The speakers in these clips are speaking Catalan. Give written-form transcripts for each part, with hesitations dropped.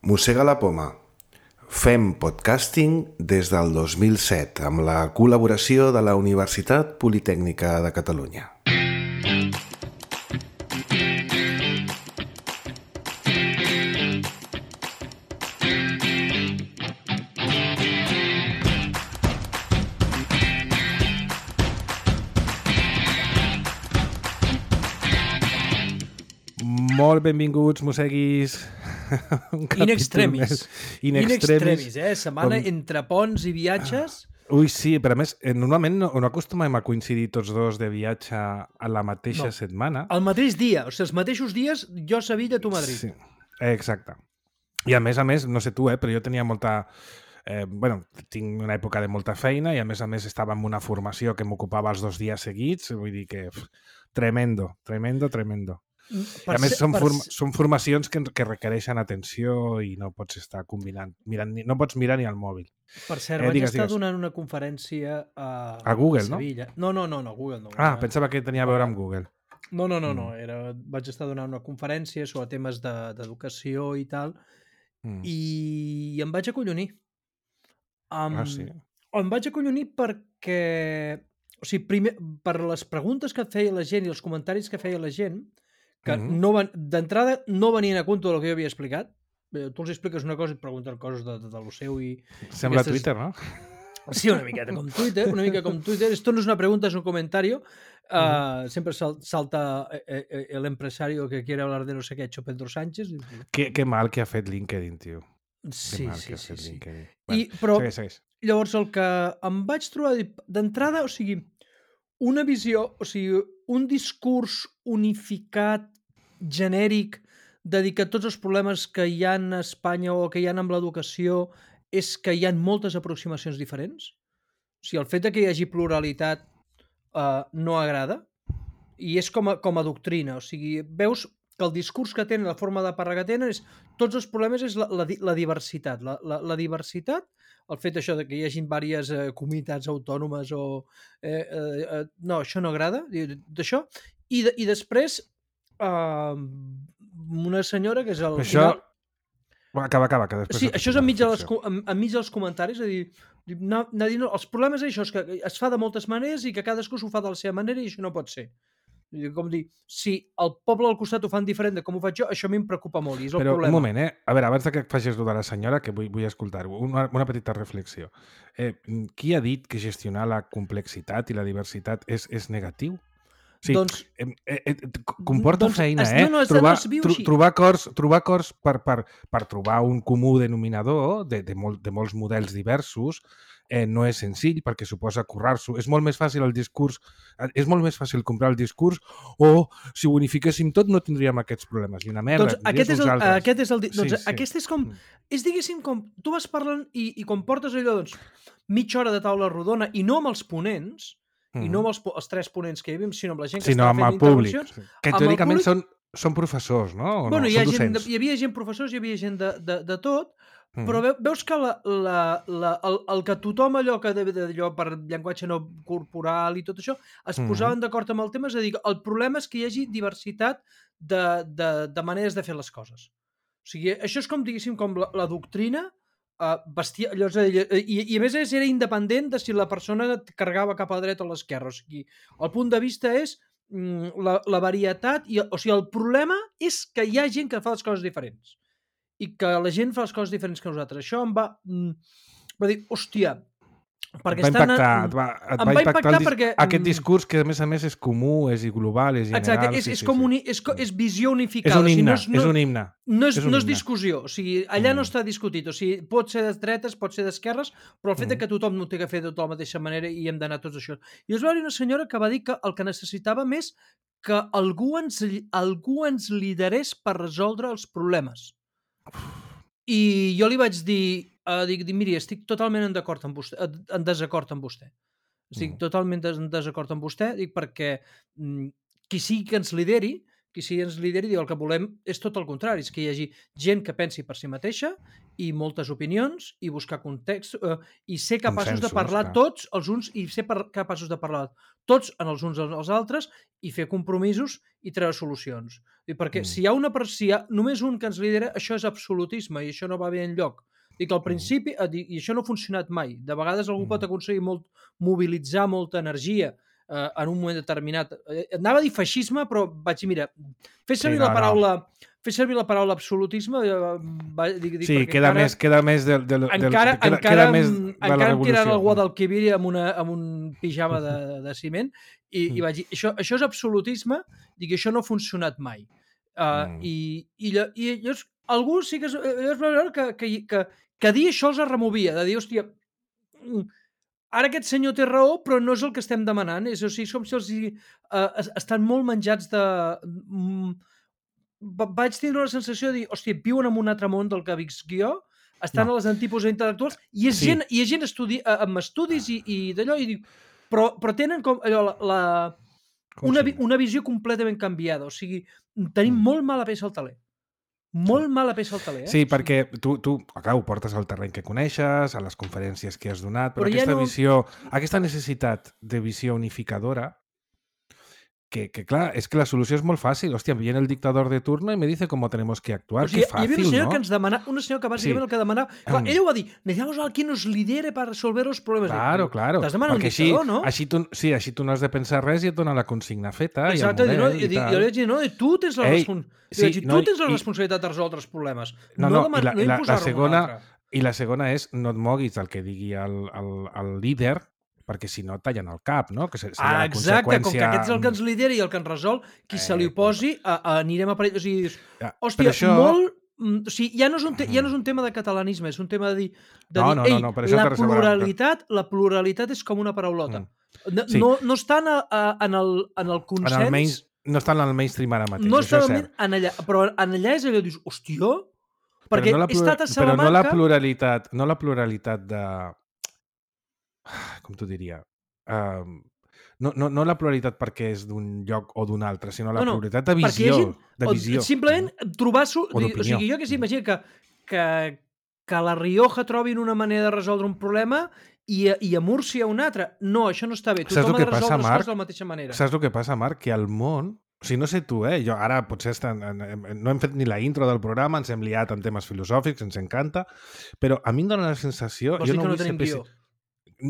Mossega la poma. Fem podcasting des del 2007 amb la col·laboració de la Universitat Politècnica de Catalunya. Molt benvinguts, mosseguis. In extremis. In extremis, Setmana entre ponts i viatges. Ui, sí, però a més, normalment no acostumem a coincidir tots dos de viatge a la mateixa setmana. El mateix dia, o sigui, els mateixos dies, jo a Sevilla, tu a Madrid. Sí, exacte. I a més, no sé tu, però jo tenia molta... tinc una època de molta feina i a més estava en una formació que m'ocupava els 2 dies seguits, vull dir que tremendo. A més, són formacions que requereixen atenció i no pots estar combinant, no pots mirar ni al mòbil. Per cert, vaig estar donant una conferència a Google, a Sevilla. No, Google no. Pensava que tenia a veure amb Google. No. Vaig estar donant una conferència sobre temes d'educació i tal, i em vaig acollonir. Sí? Em vaig acollonir perquè... O sigui, primer, per les preguntes que feia la gent i els comentaris que feia la gent, que d'entrada no venien a compte del que jo havia explicat. Tu els expliques una cosa i et pregunten coses de lo seu i... Sembla Twitter, no? Sí, una mica com Twitter. Esto no es una pregunta, es un comentario. Siempre salta el empresario que quiere hablar de no sé qué ha hecho Pedro Sánchez. Qué mal que ha fet LinkedIn, tio. Sí. Bueno, però segueix. Llavors el que em vaig trobar d'entrada, o sigui, una visió, o sigui, un discurs unificat, genèric, dedicat a tots els problemes que hi ha a Espanya o que hi ha amb l'educació, és que hi ha moltes aproximacions diferents. O sigui, el fet que hi hagi pluralitat no agrada, i és com a doctrina. O sigui, veus que el discurs que tenen, la forma de parlar que tenen, és tots els problemes és la diversitat. La diversitat, el fet això de que hi hagi diverses comunitats autònomes o... no, això no agrada, d'això. I després, una senyora que és el... Això... Acaba, que després... Sí, això és enmig dels comentaris, és a dir, els problemes és això, és que es fa de moltes maneres i que cadascú s'ho fa de la seva manera i això no pot ser. Com dir, si el poble al costat ho fan diferent de com ho faig jo, això a mi em preocupa molt i és el problema. Però un moment, a veure, abans que facis de la senyora, que vull escoltar-ho, una petita reflexió. Qui ha dit que gestionar la complexitat i la diversitat és negatiu? O sigui, doncs, comporta feina, trobar acords per trobar un comú denominador de molts models diversos no és senzill perquè suposa currar-s'ho. És molt més fàcil el discurs, és molt més fàcil comprar el discurs o si ho unifiquéssim tot no tindríem aquests problemes. I una merda, doncs aquest és com, és diguéssim com, tu vas parlant i quan portes allò, doncs, mitja hora de taula rodona i no amb els ponents, i no amb els 3 ponents que hi havia, sinó amb la gent que estava fent intervencions. Que teòricament són professors, no? Bueno, hi havia gent professors, hi havia gent de tot, però veus que el que tothom allò que d'allò per llenguatge no corporal i tot això es posaven d'acord amb el tema, és a dir, el problema és que hi hagi diversitat de maneres de fer les coses. O sigui, això és com, diguéssim, com la doctrina allò, i a més era independent de si la persona carregava cap a la dreta o a l'esquerra. O sigui, el punt de vista és la varietat, o sigui, el problema és que hi ha gent que fa les coses diferents i que la gent fa les coses diferents que nosaltres. Això em va dir, hòstia, perquè et va impactar perquè aquest discurs que a més és comú, és global, és general. Exacte, és visió unificada. És un himne. No és discussió, o sigui, allà no està discutit, o sigui, pot ser de dretes, pot ser d'esquerres, però el fet que tothom no té que fer de tota la mateixa manera i hem d'anar tots això. I us va dir una senyora que va dir que el que necessitàvem és que algú ens liderés per resoldre els problemes. I jo li vaig dir, miri, estic totalment en desacord amb vostè. Estic totalment en desacord amb vostè, perquè qui sigui que ens lideri, qui sigui ens lideri, diu el que volem és tot el contrari, és que hi hagi gent que pensi per si mateixa i moltes opinions i buscar context i ser capaços de parlar tots els uns i ser capaços de parlar tots en els uns als altres i fer compromisos i treure solucions. Perquè si hi ha només un que ens lidera, això és absolutisme i això no va bé enlloc. Dic, al principi, i això no ha funcionat mai. De vegades algú pot aconseguir mobilitzar molta energia en un moment determinat. Anava a dir feixisme, però vaig dir, mira, fer servir la paraula absolutisme... Sí, queda més de la encara em tiraran el Guadalquivir amb un pijama de ciment i vaig dir, això és absolutisme, dic, això no ha funcionat mai. I llavors algú sí que es va veure que dir això els removia, de dir, hòstia, ara aquest senyor té raó, però no és el que estem demanant. És com si els estan molt menjats de... Vaig tenir una sensació de dir, hòstia, viuen en un altre món del que visc jo, estan a les antípodes intel·lectuals, i és gent amb estudis i d'allò, i dic, però tenen com allò, una visió completament canviada. O sigui, tenim molt mala peça al taler. Molt mala peça al taler, Sí, perquè tu ho portes al terreny que coneixes, a les conferències que has donat, però aquesta visió, aquesta necessitat de visió unificadora, que clar, és que la solució és molt fàcil. Hòstia, viene el dictador de turno i me dice cómo tenemos que actuar. Que fàcil, hi havia una senyora que ens demana, una senyora que bàsicament el que demana... Clar, ella ho va dir, necesitamos a alguien que nos lidere para resolver los problemas. Claro. T'has demanat un dictador, no? Així tu no has de pensar res i et dona la consigna feta. Exacte, jo li vaig dir, no, tu tens la responsabilitat de resoldre els problemes. No, i la segona és no et moguis del que digui el líder, perquè si no tallen el cap, no? Que seria la conseqüència... com que aquest és el que ens lidera i el que ens resol, qui se li oposi, anirem a parell... O sigui, hòstia, molt... O sigui, ja no és un tema de catalanisme, és un tema de dir... La pluralitat és com una paraulota. No està en el consens... No està en el mainstream ara mateix, no això és cert. Però en allà és allò, dius, hòstia... Perquè he estat a Salamanca... Però no la pluralitat de... Com t'ho diria? No la pluralitat perquè és d'un lloc o d'un altre, sinó la pluralitat de visió. Simplement trobar... O sigui, jo que s'imagina que a la Rioja trobin una manera de resoldre un problema i a Múrcia un altre. No, això no està bé. Tothom ha de resoldre les coses de la mateixa manera. Saps el que passa, Marc? Que al món... O sigui, no sé tu, jo ara potser no hem fet ni la intro del programa, ens hem liat en temes filosòfics, ens encanta, però a mi em dona la sensació... Vols dir que no tenim guió?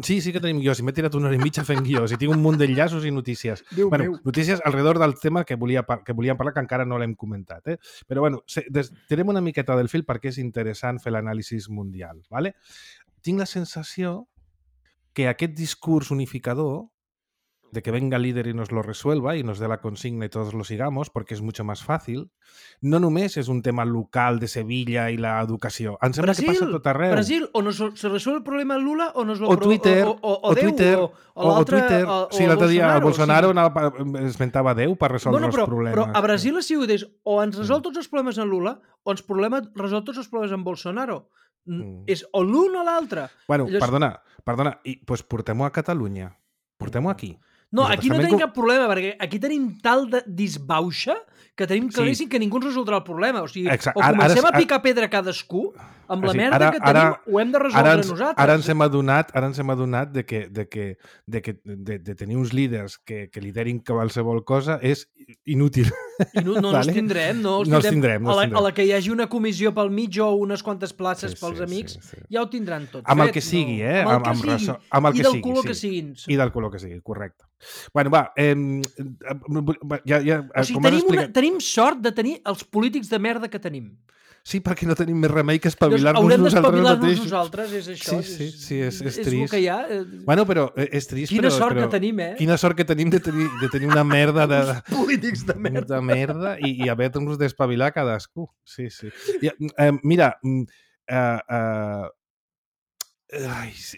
Sí que tenim guió. Si m'he tirat una hora i mitja fent guió. Si tinc un munt d'enllaços i notícies. Notícies alrededor del tema que volíem parlar, que encara no l'hem comentat. Però tirem una miqueta del fil perquè és interessant fer l'anàlisi mundial. ¿Vale? Tinc la sensació que aquest discurs unificador de que venga el líder y nos lo resuelva y nos dé la consigna y todos lo sigamos porque es mucho más fácil, no només és un tema local de Sevilla i l'educació. Em sembla que passa tot arreu. Brasil, o se resuelve el problema de Lula o nos lo... O Twitter, o Twitter. Sí, l'altre dia el Bolsonaro esmentava Déu per resoldre els problemes. Però a Brasil ha sigut o ens resol tots els problemes en Lula o ens resol tots els problemes en Bolsonaro. És o l'un o l'altre. Bueno, perdona, i doncs portem-ho a Catalunya. Portem-ho aquí. No, aquí no tenim cap problema, perquè aquí tenim tal de disbauxa que tenim claríssim que ningú ens resoldrà el problema. O sigui, o comencem a picar pedra cadascú, amb la merda que tenim, ho hem de resoldre nosaltres. Ara ens hem adonat de tenir uns líders que liderin qualsevol cosa és inútil. No els tindrem, no els tindrem. A la que hi hagi una comissió pel mig o unes quantes places pels amics, ja ho tindran tot fet. Amb el que sigui, amb el que sigui. I del color que siguin. I del color que sigui, correcte. Bueno, va, o sigui, tenim sort de tenir els polítics de merda que tenim. Sí, perquè no tenim més remei que espavilar-nos nosaltres mateixos. Haurem d'espavilar-nos nosaltres, és això. Sí, és trist. És el que hi ha. Bueno, però és trist, Quina sort que tenim, Quina sort que tenim de tenir una merda de... polítics de merda. De merda i haver-nos d'espavilar cadascú. Sí. Mira,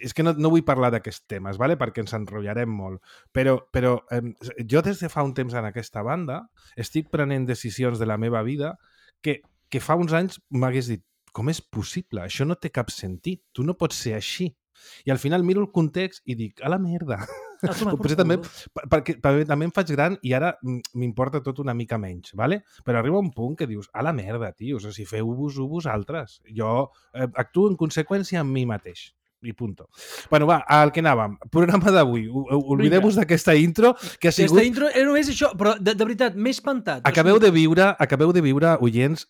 és que no vull parlar d'aquests temes, ¿vale? Perquè ens enrotllarem molt, però jo des de fa un temps en aquesta banda estic prenent decisions de la meva vida que fa uns anys m'hagués dit, com és possible? Això no té cap sentit, tu no pots ser així. I al final miro el context i dic, a la merda, Potser també, perquè també em faig gran i ara m'importa tot una mica menys, ¿vale? Però arriba un punt que dius, a la merda, tio, o sigui, feu-vos-ho vosaltres. Jo actuo en conseqüència amb mi mateix. I punto. Bueno, va, al que anàvem. Programa d'avui. Oblidem-vos d'aquesta intro, que ha sigut... Aquesta intro era només això, però de veritat, m'he espantat. Acabeu de viure, oients,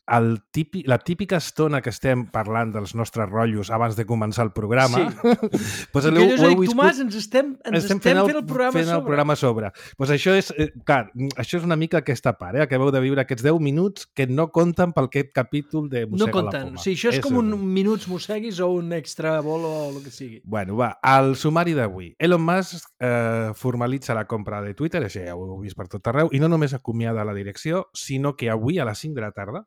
la típica estona que estem parlant dels nostres rotllos abans de començar el programa. Sí. Pues I que jo dic, Tomàs, ens estem fent el programa sobre. Pues això és, clar, això és una mica aquesta part, Acabeu de viure aquests 10 minuts que no compten pel aquest capítol de Mossega la Poma. No compten. Sí, això és com un minuts mosseguis o un extra bolo o el que sigui. Bueno, va, al sumari d'avui. Elon Musk formalitza la compra de Twitter, això ja ho heu vist per tot arreu, i no només acomiada la direcció, sinó que avui a les 5 de la tarda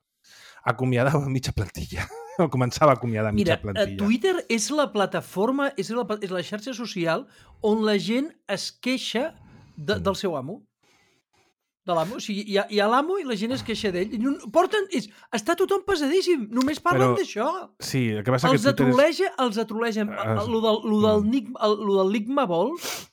acomiadava mitja plantilla. O començava a acomiadar mitja plantilla. Mira, Twitter és la plataforma, és la xarxa social on la gent es queixa del seu amo. De l'amo. O sigui, hi ha l'amo i la gent es queixa d'ell. Està tothom pesadíssim. Només parlen d'això. Sí, el que passa que Els atrolegen. Lo del Ligma vols?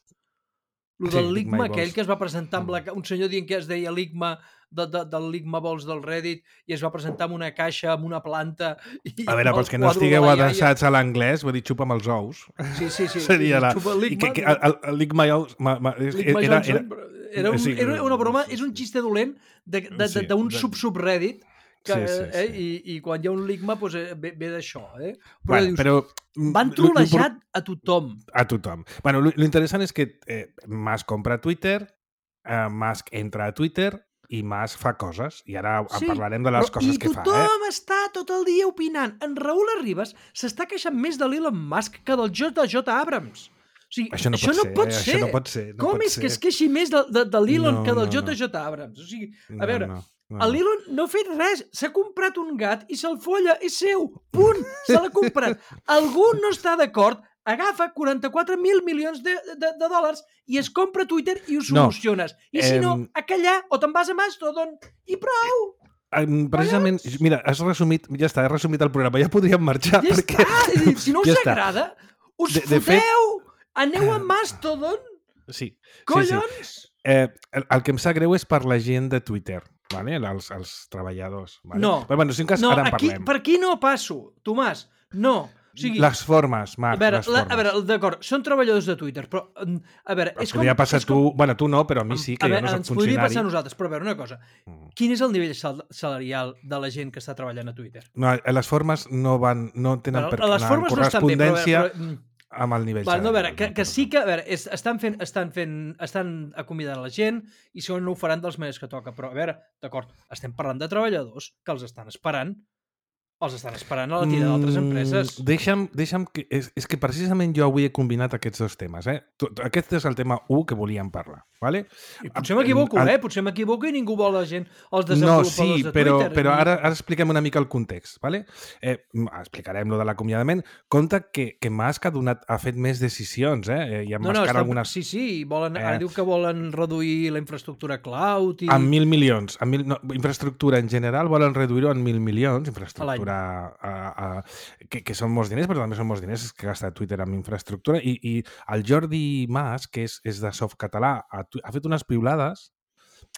Lo del Ligma aquell que es va presentar amb un senyor dient que es deia Ligma del Ligma vols del Reddit i es va presentar amb una caixa, amb una planta... A veure, pels que no estigueu adreçats a l'anglès, vull dir, xupa amb els ous. Sí. Seria el Ligma ous... Era una broma, és un xiste dolent d'un subreddit i quan hi ha un ligma ve d'això. Però van trolejar a tothom. A tothom. Bueno, l'interessant és que Musk compra Twitter, Musk entra a Twitter i Musk fa coses. I ara parlarem de les coses que fa. I tothom està tot el dia opinant. En Raül Arribas s'està queixant més de l'Elon Musk que del J.J. Abrams. O sigui, això no pot ser. Com és que es queixi més de l'Elon que del J.J. Abrams? O sigui, a veure, l'Elon no ha fet res. S'ha comprat un gat i se'l folla. És seu. Punt. Se l'ha comprat. Algú no està d'acord, agafa 44.000 milions de dòlars i es compra Twitter i ho soluciones. I si no, a callar o te'n vas a Mastodon i prou. Precisament, mira, has resumit el programa. Ja podríem marxar. Ja està. Si no us agrada, us foteu. Aneu a Mastodon? Sí. Collons! Sí. El que em sap greu és per la gent de Twitter, vale? els treballadors. Vale? No, però, bueno, si en cas, ara en parlem. Per aquí no passo, Tomàs. No. O sigui, les formes, Marc, les formes. A veure, d'acord, són treballadors de Twitter, però, a veure... Podria passar tu... Bueno, tu no, però a mi sí, que jo no soc funcionari. Ens podria passar a nosaltres, però a veure, una cosa. Quin és el nivell salarial de la gent que està treballant a Twitter? No, les formes no tenen correspondència... amb el nivell salarial. No, a veure, que sí que... A veure, estan acomiadant la gent i segons no ho faran de les maneres que toca. Però, a veure, d'acord, estem parlant de treballadors que els estan esperant a la tira d'altres empreses. Deixa'm que... És que precisament jo avui he combinat aquests dos temes. Aquest és el tema 1 que volíem parlar. Vale? I potser m'equivoco, Potser m'equivoco i ningú vol la gent, els desenvolupadors de Twitter. Però ara expliquem una mica el context. Vale? Explicarem lo de l'acomiadament. Compte que Musk ha fet més decisions. I algunes... Sí. Ara diu que volen reduir la infraestructura cloud. En 1.000 milions. Infraestructura en general volen reduir-ho en 1.000 milions. Infraestructura que són molts diners, però també són molts diners que gasta Twitter amb infraestructura. I el Jordi Mas, que és de Softcatalà, ha fet unes piulades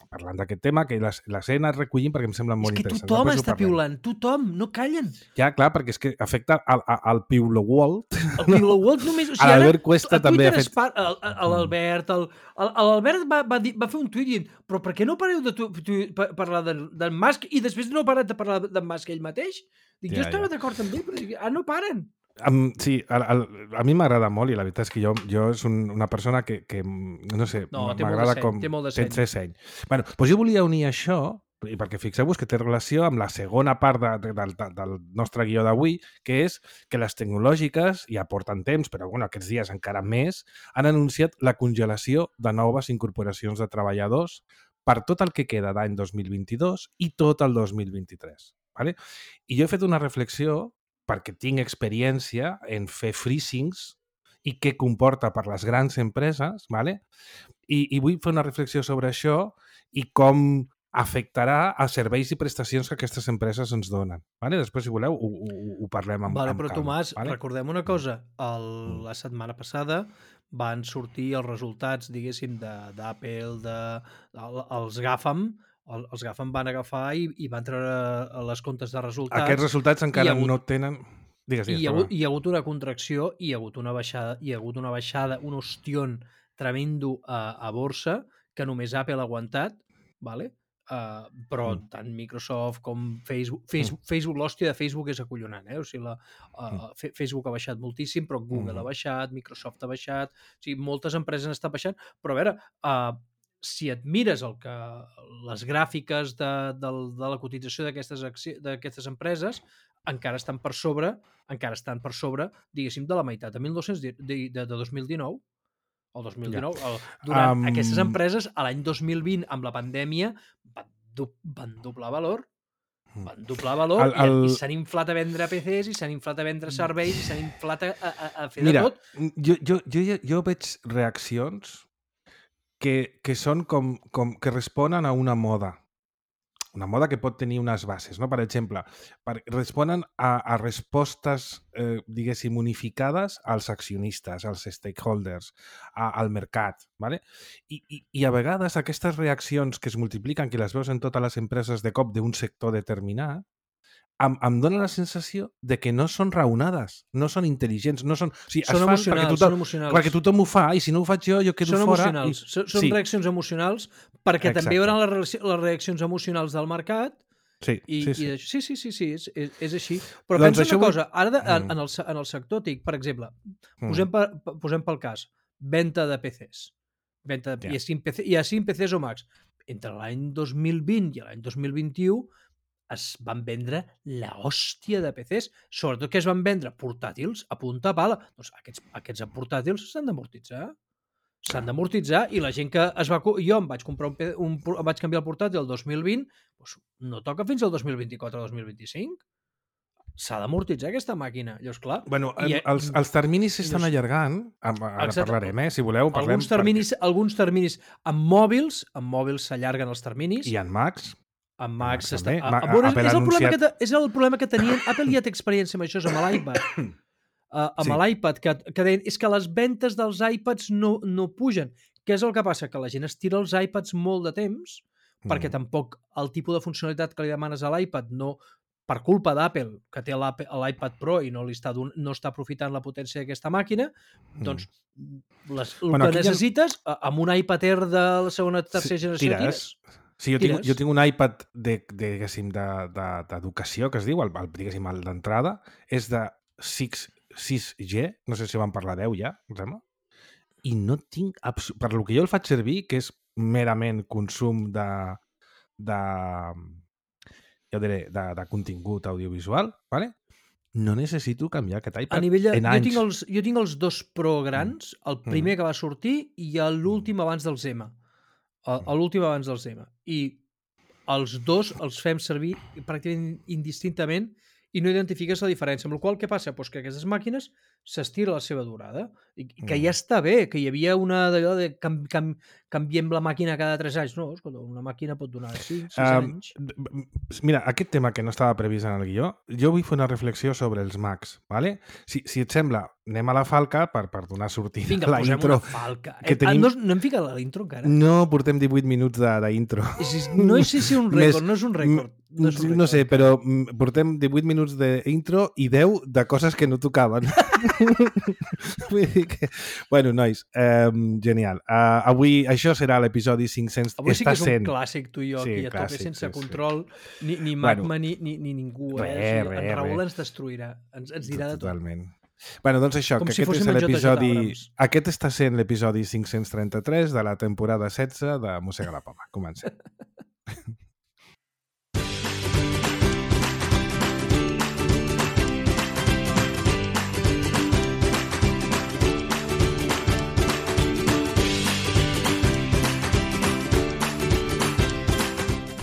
parlant d'aquest tema, que les he anat recollint perquè em semblen molt interessants. És que tothom està piulant, tothom, no callen. Ja, clar, perquè és que afecta al Piulo World. El Piulo World només... A l'Albert Cuesta també ha fet... L'Albert va fer un tuit dient però per què no pareu de parlar d'en Musk i després no parat de parlar d'en Musk ell mateix? Jo estava d'acord amb ell, però no paren. Sí, a mi m'agrada molt i la veritat és que jo és una persona que no sé, m'agrada com... Té seny. Bueno, doncs jo volia unir això, i perquè fixeu-vos que té relació amb la segona part del nostre guió d'avui, que és que les tecnològiques, ja porten temps, però bueno, aquests dies encara més, han anunciat la congelació de noves incorporacions de treballadors per tot el que queda d'any 2022 i tot el 2023. Vale? I jo he fet una reflexió perquè tinc experiència en fer freezings i què comporta per les grans empreses, ¿vale? I vull fer una reflexió sobre això i com afectarà a serveis i prestacions que aquestes empreses ens donen. ¿Vale? Després, si voleu, ho parlem amb calma. Però, Tomàs, recordem una cosa. La setmana passada van sortir els resultats, diguéssim, d'Apple, els GAFAM, els GAFAM van agafar i van treure les comptes de resultats. Aquests resultats encara no tenen... Digues, hi ha hagut una contracció, hi ha hagut una baixada, un ostión tremendo a borsa, que només Apple ha aguantat, ¿vale? Però tant Microsoft com Facebook, l'hòstia de Facebook és acollonant, o sigui, Facebook ha baixat moltíssim, però Google ha baixat, Microsoft ha baixat, o sigui, moltes empreses han estat baixant, però a veure, si et mires les gràfiques de la cotització d'aquestes empreses, encara estan per sobre, diguéssim, de la meitat de 2019. El 2019. Durant aquestes empreses, a l'any 2020, amb la pandèmia, van doblar valor. I s'han inflat a vendre PCs, i s'han inflat a vendre serveis, i s'han inflat a fer de tot. Jo veig reaccions que són que responen a una moda que pot tenir unes bases, no? Per exemple, responen a respostes, diguéssim, unificades als accionistes, als stakeholders, al mercat, ¿vale? I a vegades aquestes reaccions que es multipliquen, que les veus en totes les empreses de cop d'un sector determinat, em dona la sensació de que no són raonades, no són intel·ligents, no són... O sigui, són emocionals. Perquè tothom ho fa, i si no ho faig jo quedo fora. Són reaccions emocionals, perquè també hi haurà les reaccions emocionals del mercat. Sí. Sí, és així. Però pensa una cosa, ara en el sector TIC, per exemple, posem pel cas, venda de PCs. I a 5 PCs o Macs. Entre l'any 2020 i l'any 2021 es van vendre la hòstia de PCs. Sobretot que es van vendre portàtils a punta pala. Doncs aquests portàtils s'han d'amortitzar. I la gent que es va... Jo em vaig comprar vaig canviar el portàtil el 2020, doncs no toca fins al 2024 o 2025. S'ha d'amortitzar aquesta màquina. Llavors, clar... Bueno, els terminis s'estan allargant. Ara parlarem, si voleu. Alguns terminis amb mòbils s'allarguen els terminis. I en Macs. En Macs és el problema que tenien. Apple ja té experiència amb això, amb l'iPad. Amb l'iPad, que deien, és que les ventes dels iPads no pugen. Què és el que passa? Que la gent estira els iPads molt de temps, perquè tampoc el tipus de funcionalitat que li demanes a l'iPad per culpa d'Apple, que té l'iPad Pro i no està aprofitant la potència d'aquesta màquina, doncs el que necessites, amb un iPad Air de la segona o tercera generació, tires. Sí, jo tinc un iPad d'educació, que es diu, diguéssim, el d'entrada, és de 6G, no sé si van parlar 10 ja, em sembla, i no tinc... Per lo que jo el faig servir, que és merament consum de contingut audiovisual, ¿vale? No necessito canviar aquest iPad en anys. Jo tinc els 2 Pro grans, el primer que va sortir i l'últim abans del Zema. I els 2 els fem servir pràcticament indistintament i no identifiques la diferència. Amb la qual cosa, què passa? Pues que aquestes màquines s'estira la seva durada. I que ja està bé, que hi havia una d'allò de canviem la màquina cada 3 anys. No, escolta, una màquina pot donar 5, 6 anys. Mira, aquest tema que no estava previst en el guió, jo vull fer una reflexió sobre els Macs, ¿vale? Si et sembla, anem a la falca per donar sortida a la intro. Vinga, posem una falca. No hem ficat l'intro encara? No, portem 18 minuts d'intro. No sé si un rècord, no és un rècord. No sé, però portem 18 minuts d'intro i 10 de coses que no tocaven. Vull dir que... Bueno, nois, genial. Avui això serà l'episodi 500. Avui sí que és un clàssic, tu i jo, aquí a tope, sense control, ni Magma ni ningú. En Raül ens destruirà, ens dirà de tot. Totalment. Bueno, doncs això, que aquest és l'episodi... Aquest està sent l'episodi 533 de la temporada 16 de Mossega la Poma. Comencem.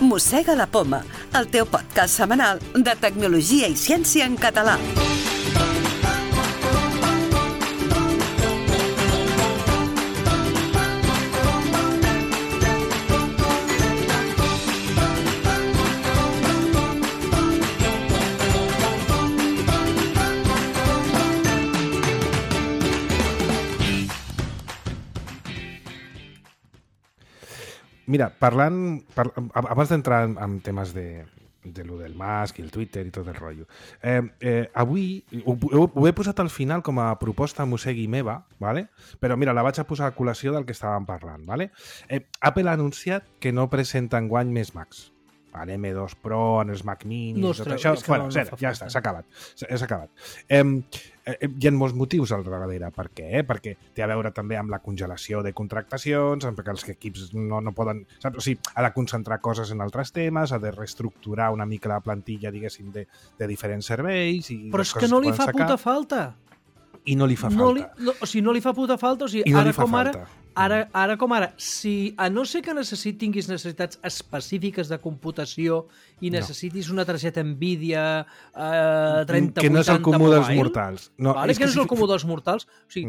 Mossega la Poma, el teu podcast setmanal de tecnologia i ciència en català. Mira, abans d'entrar en temes de lo del Musk i el Twitter i tot el rotllo, avui ho he posat al final com a proposta mossegui meva, ¿vale? Però mira, la vaig a posar a col·lació del que estàvem parlant. ¿Vale? Apple ha anunciat que no presenta enguany més Macs. M2 Pro, en els Mac Mini, tot això. Bueno, ja està, s'ha acabat. Hi ha molts motius al darrere. Per què? Perquè té a veure també amb la congelació de contractacions, perquè els equips no poden... Saps? O sigui, ha de concentrar coses en altres temes, ha de reestructurar una mica la plantilla, diguéssim, de diferents serveis... Però és que no li fa puta falta. I no li fa falta. O sigui, no li fa puta falta. O sigui, ara com ara, si a no ser que tinguis necessitats específiques de computació i necessitis una targeta Nvidia 3080 que no és el comú dels mortals. Que no és el comú dels mortals. O sigui,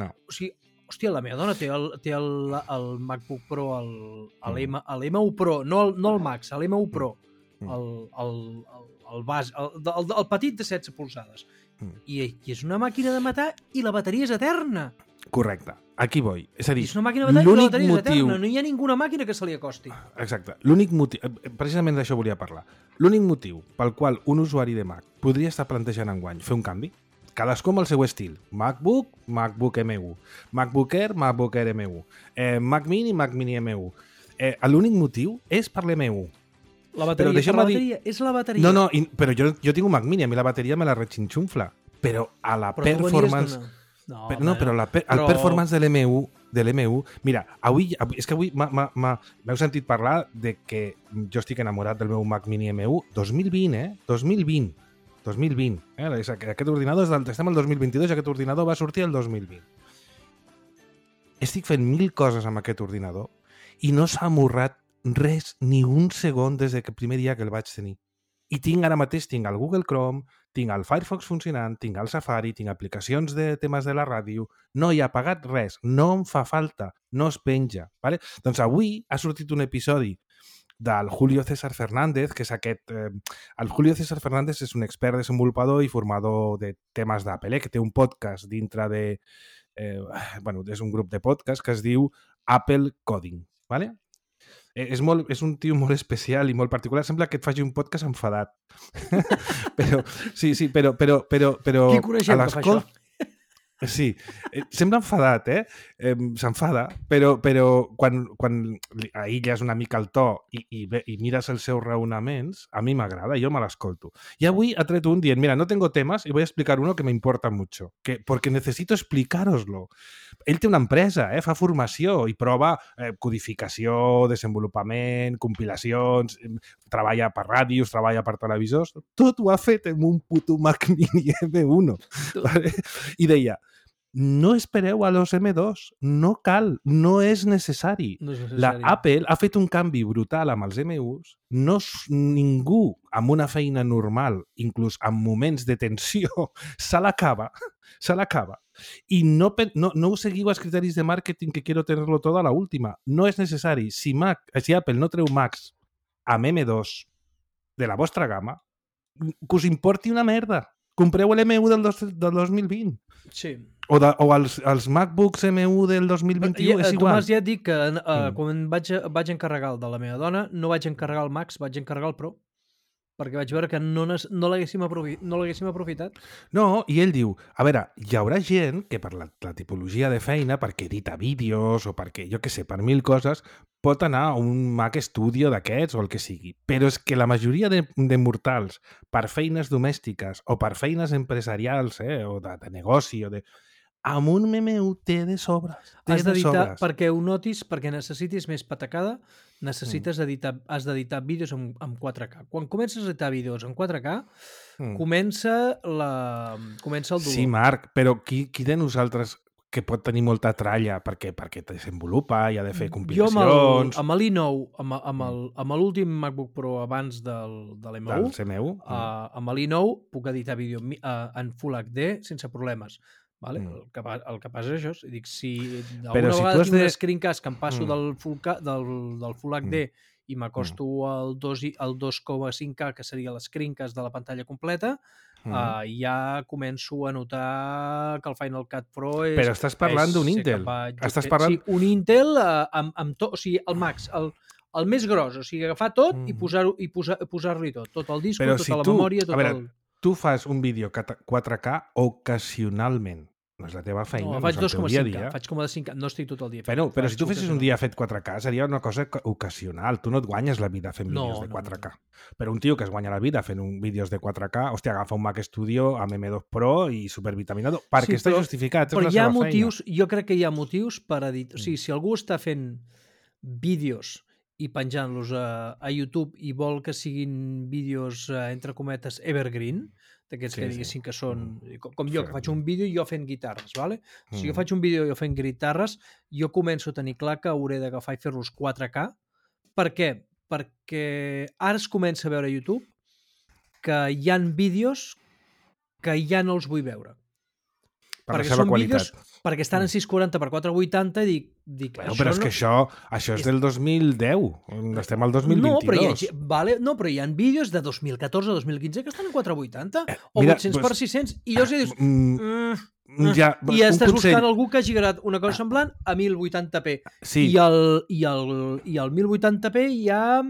hòstia, la meva dona té el MacBook Pro, l'M1 Pro, no el Max, l'M1 Pro, el petit de 16 polzades. I és una màquina de matar i la bateria és eterna. Correcte, aquí vull. És a dir, és una màquina de matar i la bateria és eterna. No hi ha ninguna màquina que se li acosti. Exacte. L'únic motiu, precisament d'això volia parlar, l'únic motiu pel qual un usuari de Mac podria estar plantejant enguany fer un canvi, cadascú amb el seu estil, MacBook, MacBook M1, MacBook Air, MacBook Air M1, Mac Mini, Mac Mini M1. L'únic motiu és per l'M1. La bateria, és la bateria. No, però jo tinc un Mac Mini, a mi la bateria me la rexinxunfla, però a la performance... Però el performance de l'M1, mira, avui m'heu sentit parlar de que jo estic enamorat del meu Mac Mini M1 2020, 2020. Aquest ordinador estem al 2022 i aquest ordinador va sortir el 2020. Estic fent 1000 coses amb aquest ordinador i no s'ha amorrat res ni un segon des del primer dia que el vaig tenir. I ara mateix tinc el Google Chrome, tinc el Firefox funcionant, tinc el Safari, tinc aplicacions de temes de la ràdio, no hi ha pagat res, no em fa falta, no es penja. Vale? Doncs avui ha sortit un episodi del Julio César Fernández, que és aquest... El Julio César Fernández és un expert desenvolupador i formador de temes d'Apple, que té un podcast dintre de... és un grup de podcast que es diu Apple Coding. Vale? És un tio molt especial i molt particular. Sembla que et faci un podcast enfadat. Però qui coneixem que fa això? Sí, sembla enfadat, s'enfada, però quan aïlles una mica el to i mires els seus raonaments, a mi m'agrada, jo me l'escolto. I avui ha tret un dient, mira, no tengo temas y voy a explicar uno que me importa mucho, porque necesito explicároslo. Ell té una empresa, fa formació i prova codificació, desenvolupament, compilacions, treballa per ràdios, treballa per televisors, tot ho ha fet amb un puto Mac Mini M1. Vale? I deia, no espereu a los M2, no cal, no és necessari. La Apple ha fet un canvi brutal amb els M1s, ningú amb una feina normal, inclús en moments de tensió, se l'acaba. I no ho seguiu als criteris de màrqueting que quiero tenerlo todo a la última. No és necessari. Si Apple no treu Macs amb M2 de la vostra gamma, que us importi una merda. Compreu l'M1 del 2020. Sí. O els MacBooks M1 del 2021, és igual. Tomàs, ja et dic que quan vaig encarregar el de la meva dona, no vaig encarregar el Max, vaig encarregar el Pro, perquè vaig veure que no l'haguéssim aprofitat. No, i ell diu, a veure, hi haurà gent que per la tipologia de feina, perquè edita vídeos o perquè, jo què sé, per 1000 coses, pot anar a un Mac Studio d'aquests o el que sigui. Però és que la majoria de mortals, per feines domèstiques o per feines empresarials o de negoci o de... amb un M1 té de sobres. Has d'editar, perquè ho notis, perquè necessitis més patacada, has d'editar vídeos amb 4K. Quan comences a editar vídeos en 4K, comença el dolor. Sí, Marc, però qui de nosaltres que pot tenir molta tralla perquè desenvolupa i ha de fer compilacions... Jo amb l'i9, amb l'últim MacBook Pro abans de l'M1, amb l'i9 puc editar vídeo en Full HD sense problemes. Vale? El que passa és això. Dic, si alguna vegada tinc un screencast que em passo del Full HD i m'acosto al 2,5K, que seria l'escreencast de la pantalla completa, ja començo a notar que el Final Cut Pro és... Però estàs parlant d'un Intel. Sí, un Intel amb tot... O sigui, el Max, el més gros, o sigui, agafar tot i posar-li tot el disc, Però tota la memòria, tot el... Tu fas un vídeo 4K ocasionalment. No és la teva feina, No, no faig és el teu dia a 2,5K, dia. faig com a 5K, no estic tot el dia. Però si tu fessis un dia fet 4K seria una cosa ocasional. Tu no et guanyes la vida fent vídeos de 4K. Però un tio que es guanya la vida fent vídeos de 4K, hòstia, agafa un Mac Studio amb M2 Pro i supervitaminado, perquè està justificat, és la seva feina. Jo crec que hi ha motius per a dir... O sigui, si algú està fent vídeos i penjant-los a YouTube i vol que siguin vídeos, entre cometes, evergreen, d'aquests que diguéssim que són... Com jo, que faig un vídeo jo fent guitarres, ¿vale? Si jo faig un vídeo jo fent guitarres, jo començo a tenir clar que hauré d'agafar i fer-los 4K. Per què? Perquè ara es comença a veure a YouTube que hi han vídeos que ja no els vull veure. Per la seva qualitat. Perquè estan en 640x480 i dic però és que això és del 2010. Estem al 2022. Però hi ha vídeos de 2014 a 2015 que estan en 480 o 800x600 i llavors dius... I estàs buscant algú que hagi gravat una cosa semblant a 1080p. Sí. I el 1080p ja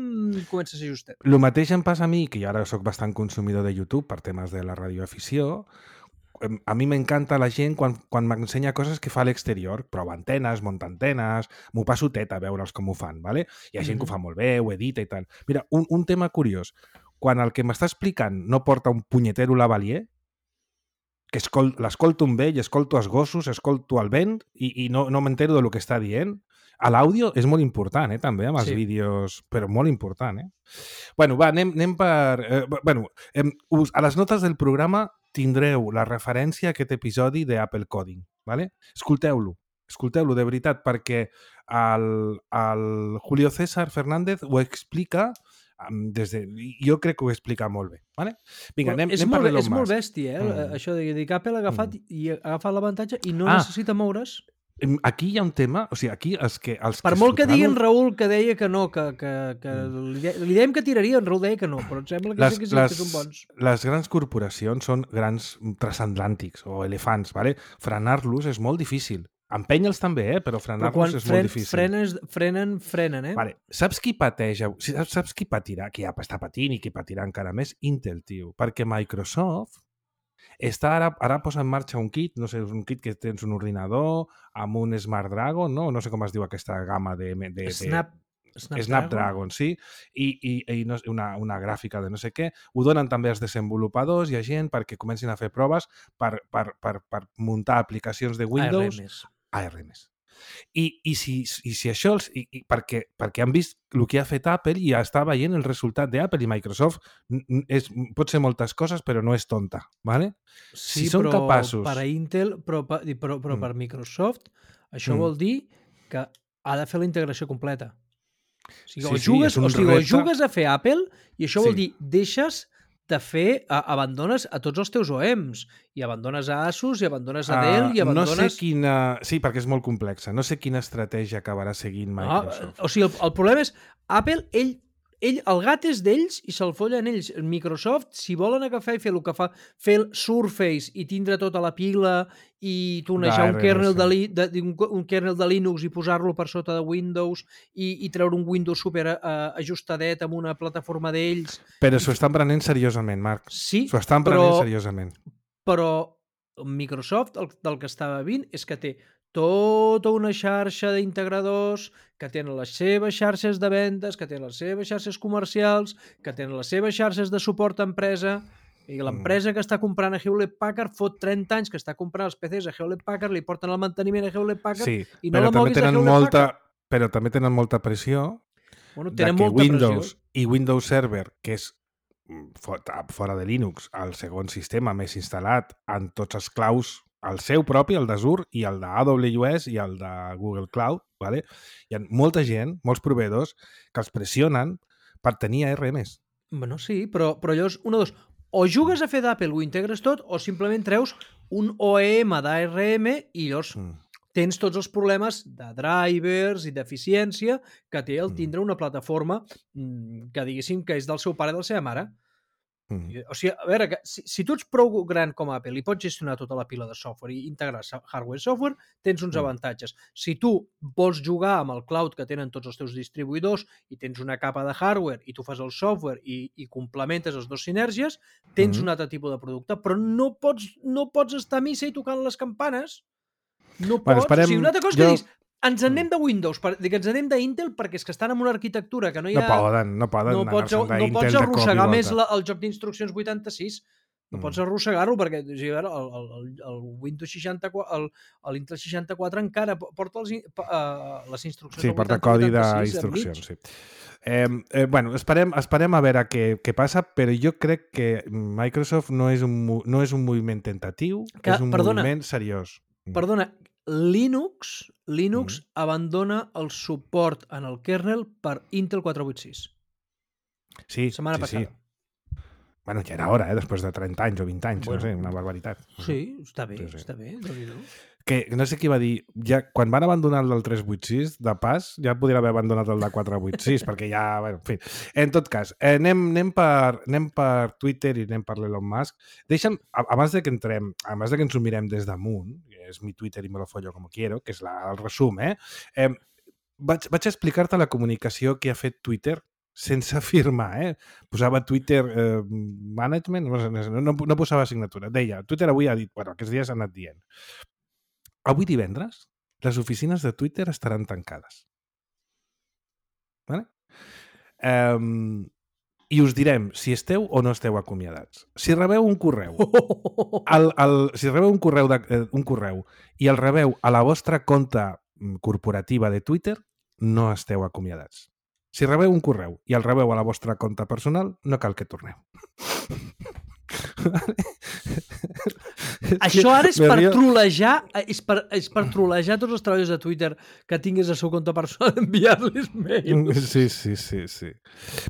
comença a ser justet. El mateix em passa a mi, que jo ara soc bastant consumidor de YouTube per temes de la radioafició. A mi m'encanta la gent quan m'ensenya coses que fa a l'exterior, prova antenes, munta antenes, m'ho passo teta a veure'ls com ho fan, ¿vale? Hi ha gent que ho fa molt bé, ho edita i tal. Mira, un tema curiós. Quan el que m'està explicant no porta un punyetero lavalier, que l'escolto amb ell, escolto els gossos, escolto el vent i no m'entero del que està dient, a l'àudio és molt important, també, amb els vídeos, però molt important, Bueno, va, anem per... a les notes del programa tindreu la referència a aquest episodi d'Apple Coding, ¿vale? Escolteu-lo de veritat, perquè el Julio César Fernández ho explica jo crec que ho explica molt bé, ¿vale? Vinga, anem per l'Elon Musk. És molt bèstia, això de dir que Apple ha agafat l'avantatge i no necessita moure's. Aquí hi ha un tema, o sigui, aquí per molt que diguin Raül que deia que no, que li dèiem que tiraria, en Raül deia que no, però em sembla que sí que són bons. Les grans corporacions són grans transatlàntics o elefants, ¿vale? Frenar-los és molt difícil. Empènyer-los també, però frenar-los és molt difícil. Frenen, Vale. Saps qui pateja? Saps qui patirà? Qui ja està patint i qui patirà encara més? Intel, tio. Perquè Microsoft està ara posa en marxa un kit, no sé, un kit que tens un ordinador amb un Snapdragon, no sé com es diu aquesta gamma de Snapdragon, sí, i una gràfica de no sé què. Ho donen també als desenvolupadors i a gent perquè comencin a fer proves per muntar aplicacions de Windows ARMs. I si això perquè han vist el que ha fet Apple i està veient el resultat d'Apple i Microsoft pot ser moltes coses però no és tonta, ¿vale? Sí, són capaços... per a Intel però per Microsoft això vol dir que ha de fer la integració completa. O sigui, jugues a fer Apple i això vol dir deixes de fer, abandones a tots els teus OEMs i abandones a Asus i abandones a Dell i abandones... No sé quina... Sí, perquè és molt complexa. No sé quina estratègia acabarà seguint Microsoft. O sigui, el problema és Apple, el gat és d'ells i se'l follen ells. Microsoft, si volen agafar i fer el que fa, fer el Surface i tindre tota la pila i tunejar un kernel de Linux i posar-lo per sota de Windows i treure un Windows super ajustadet amb una plataforma d'ells... Però s'ho estan prenent seriosament, Marc. Sí, s'ho estan prenent seriosament. Però Microsoft, del que estava vint, és que té tota una xarxa d'integradors que tenen les seves xarxes de vendes, que tenen les seves xarxes comercials, que tenen les seves xarxes de suport a empresa, i l'empresa que està comprant a Hewlett-Packard fot 30 anys que està comprant els PCs a Hewlett-Packard, li porten el manteniment a Hewlett-Packard i no la moguis a Hewlett-Packard. Però també tenen molta pressió Windows i Windows Server, que és fora de Linux, el segon sistema més instal·lat en tots els claus, el seu propi, el d'Azure, i el d'AWS i el de Google Cloud, ¿vale? Hi ha molta gent, molts proveïdors, que els pressionen per tenir ARMs. Bueno, sí, però llavors, o jugues a fer d'Apple, ho integres tot, o simplement treus un OEM d'ARM i llavors tens tots els problemes de drivers i d'eficiència que té el tindre una plataforma que diguéssim que és del seu pare i de la seva mare. O sigui, a veure, si tu ets prou gran com Apple i pots gestionar tota la pila de software i integrar hardware i software, tens uns avantatges. Si tu vols jugar amb el cloud que tenen tots els teus distribuïdors i tens una capa de hardware i tu fas el software i complementes les dues sinergies, tens un altre tipus de producte, però no pots estar a missa i tocant les campanes. No pots. O sigui, una altra cosa que dius, ens en anem de Windows, que ens en anem d'Intel perquè és que estan en una arquitectura que no hi ha... No poden anar-se'n d'Intel. No pots arrossegar més el joc d'instruccions 86. No pots arrossegar-lo perquè el Windows 64, l'Intel 64 encara porta les instruccions. Sí, porta codi d'instruccions, sí. Bueno, esperem a veure què passa, però jo crec que Microsoft no és un moviment tentatiu, és un moviment seriós. Perdona, Linux abandona el suport en el kernel per Intel 486. Sí, setmana passada. Sí. Bueno, ja era hora, després de 30 anys o 20 anys, no sé, una barbaritat. Sí, està bé, està bé. Que no sé qui va dir, ja, quan van abandonar el del 386, de pas, ja podria haver abandonat el de 486, perquè ja, bueno, en fi. En tot cas, anem per Twitter i anem per l'Elon Musk. Deixa'm, abans de que ens ho mirem des damunt, que és mi Twitter i me lo follo como quiero, que és el resum, vaig explicar-te la comunicació que ha fet Twitter sense firmar, Posava Twitter management, no posava signatura. Deia, Twitter avui ha dit, bueno, aquests dies ha anat dient, avui divendres les oficines de Twitter estaran tancades. Vale? I us direm si esteu o no esteu acomiadats. Si rebeu un correu, si rebeu un correu i el rebeu a la vostra compta corporativa de Twitter, no esteu acomiadats. Si rebeu un correu i el rebeu a la vostra compta personal, no cal que torneu. Això ara és per trolejar, és per trolejar tots els treballadors de Twitter que tinguis el seu compte personal, enviar-los mails. Sí.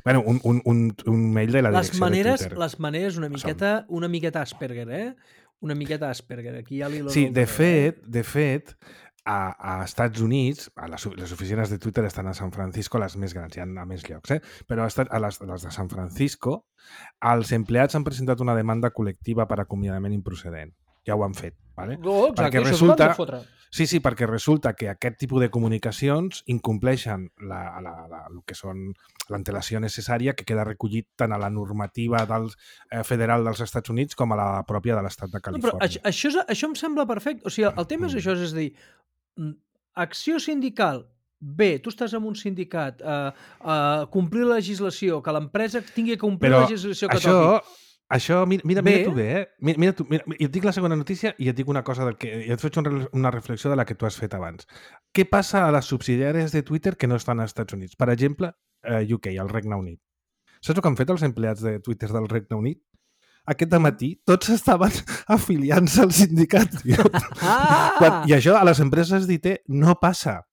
Bueno, un mail de la direcció de Twitter. Les maneres una miqueta Asperger, Una miqueta Asperger. Aquí ja sí, de fet, a Estats Units, les oficines de Twitter estan a San Francisco, les més grans, hi ha a més llocs, però a les de San Francisco, els empleats han presentat una demanda col·lectiva per acomiadament improcedent. Ja ho han fet, ¿vale? No, exacte, això Sí, perquè resulta que aquest tipus de comunicacions incompleixen el que són l'antelació necessària que queda recollit tant a la normativa federal dels Estats Units com a la pròpia de l'estat de Califòrnia. Però això em sembla perfecte. O sigui, el tema és això, és a dir, acció sindical, bé, tu estàs en un sindicat, complir la legislació, que l'empresa tingui que complir la legislació que toqui. Això, mira tu bé, Mira, i et dic la segona notícia i et dic una cosa i et faig una reflexió de la que tu has fet abans. Què passa a les subsidiàries de Twitter que no estan als Estats Units? Per exemple, UK, el Regne Unit. Saps el que han fet els empleats de Twitter del Regne Unit? Aquest dematí tots estaven afiliant-se al sindicat. I això a les empreses d'IT no passa.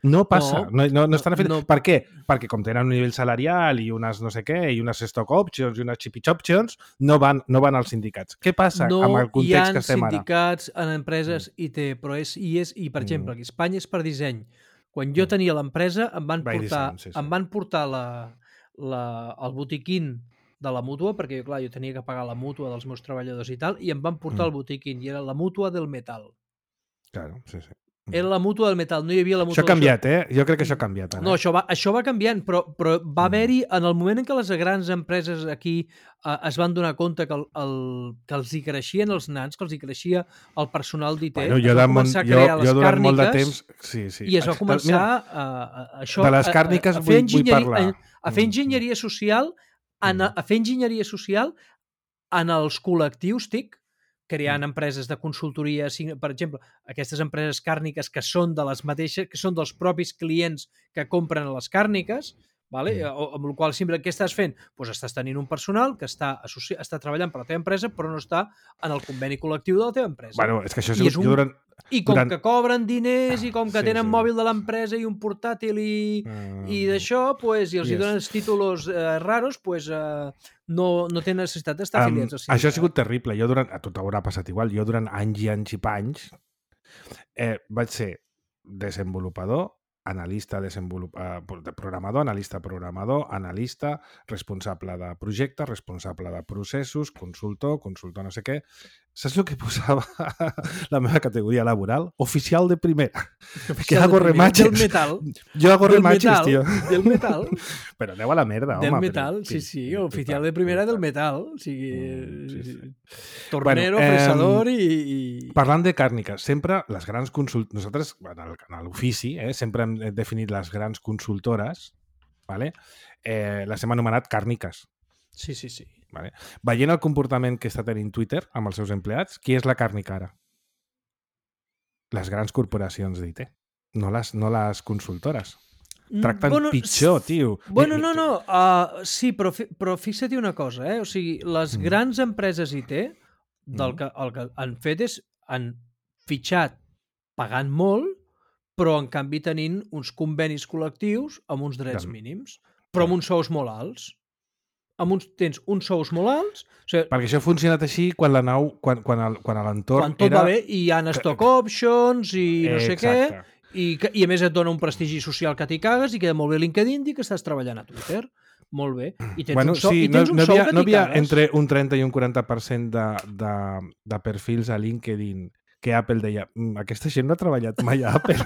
No passa, no estan fent... No. Per què? Perquè com tenen un nivell salarial i unes no sé què, i unes stock options i unes chip options, no van als sindicats. Què passa amb el context que estem ara? No hi ha sindicats en empreses IT, però i per exemple, aquí a Espanya és per disseny. Quan jo tenia l'empresa em van portar el botiquín de la mútua, perquè clar, jo tenia que pagar la mútua dels meus treballadors i tal, i em van portar el botiquín, i era la mútua del metal. Claro, sí. Era la mútua del metal, no hi havia la mútua... Això ha canviat, Jo crec que això ha canviat. No, això va canviant, però va haver-hi, en el moment en què les grans empreses aquí es van donar compte que els hi creixien els nans, que els hi creixia el personal d'IT, es va començar a crear les càrniques, molt de temps, sí. I es va començar de les càrniques a fer enginyeria social, en els col·lectius TIC, creant empreses de consultoria, per exemple, aquestes empreses càrniques que són de les mateixes, que són dels propis clients que compren a les càrniques, vale? Amb la qual cosa, què estàs fent? Pues estàs tenint un personal que està treballant per la teva empresa però no està en el conveni col·lectiu de la teva empresa. Bueno, és que això ha sigut... que cobren diners i com que tenen mòbil de l'empresa i un portàtil i d'això, pues, i els hi donen els títols raros, pues, no tenen necessitat d'estar afiliats al sindicat. Això ha sigut terrible. A tu t'haurà passat igual. Jo durant anys i panys vaig ser desenvolupador analista programador, analista, responsable de projecte, responsable de processos, consultor no sé què. Saps el que posava la meva categoria laboral? Oficial de primera. Que hago remaches. Del metal. Yo hago remaches, tío. Del metal. Però aneu a la merda, home. Del metal, sí. Oficial de primera del metal. O sigui, sí. tornero, fresador i... Parlant de càrniques, sempre les grans nosaltres, en l'ofici, sempre hem definit les grans consultores, vale? Les hem anomenat càrniques. Sí. Vale? Veient el comportament que està tenint Twitter amb els seus empleats, qui és la càrnica ara? Les grans corporacions d'IT, no les consultores. Tracten pitjor, tio. Bueno, no. Sí, però fixa't una cosa, O sigui, les grans empreses IT el que han fet és han fitxat pagant molt, però en canvi tenint uns convenis col·lectius amb uns drets mínims, però amb uns sous molt alts. Tens uns sous molt alts... O sigui, perquè això ha funcionat així quan la nau, quan l'entorn quan tot va bé, i hi ha stock options i no sé què, i a més et dona un prestigi social que t'hi cagues i queda molt bé LinkedIn dir que estàs treballant a Twitter. Molt bé. I tens un sou que t'hi cagues. Entre un 30 i un 40% de perfils a LinkedIn que Apple deia, aquesta gent no ha treballat mai a Apple.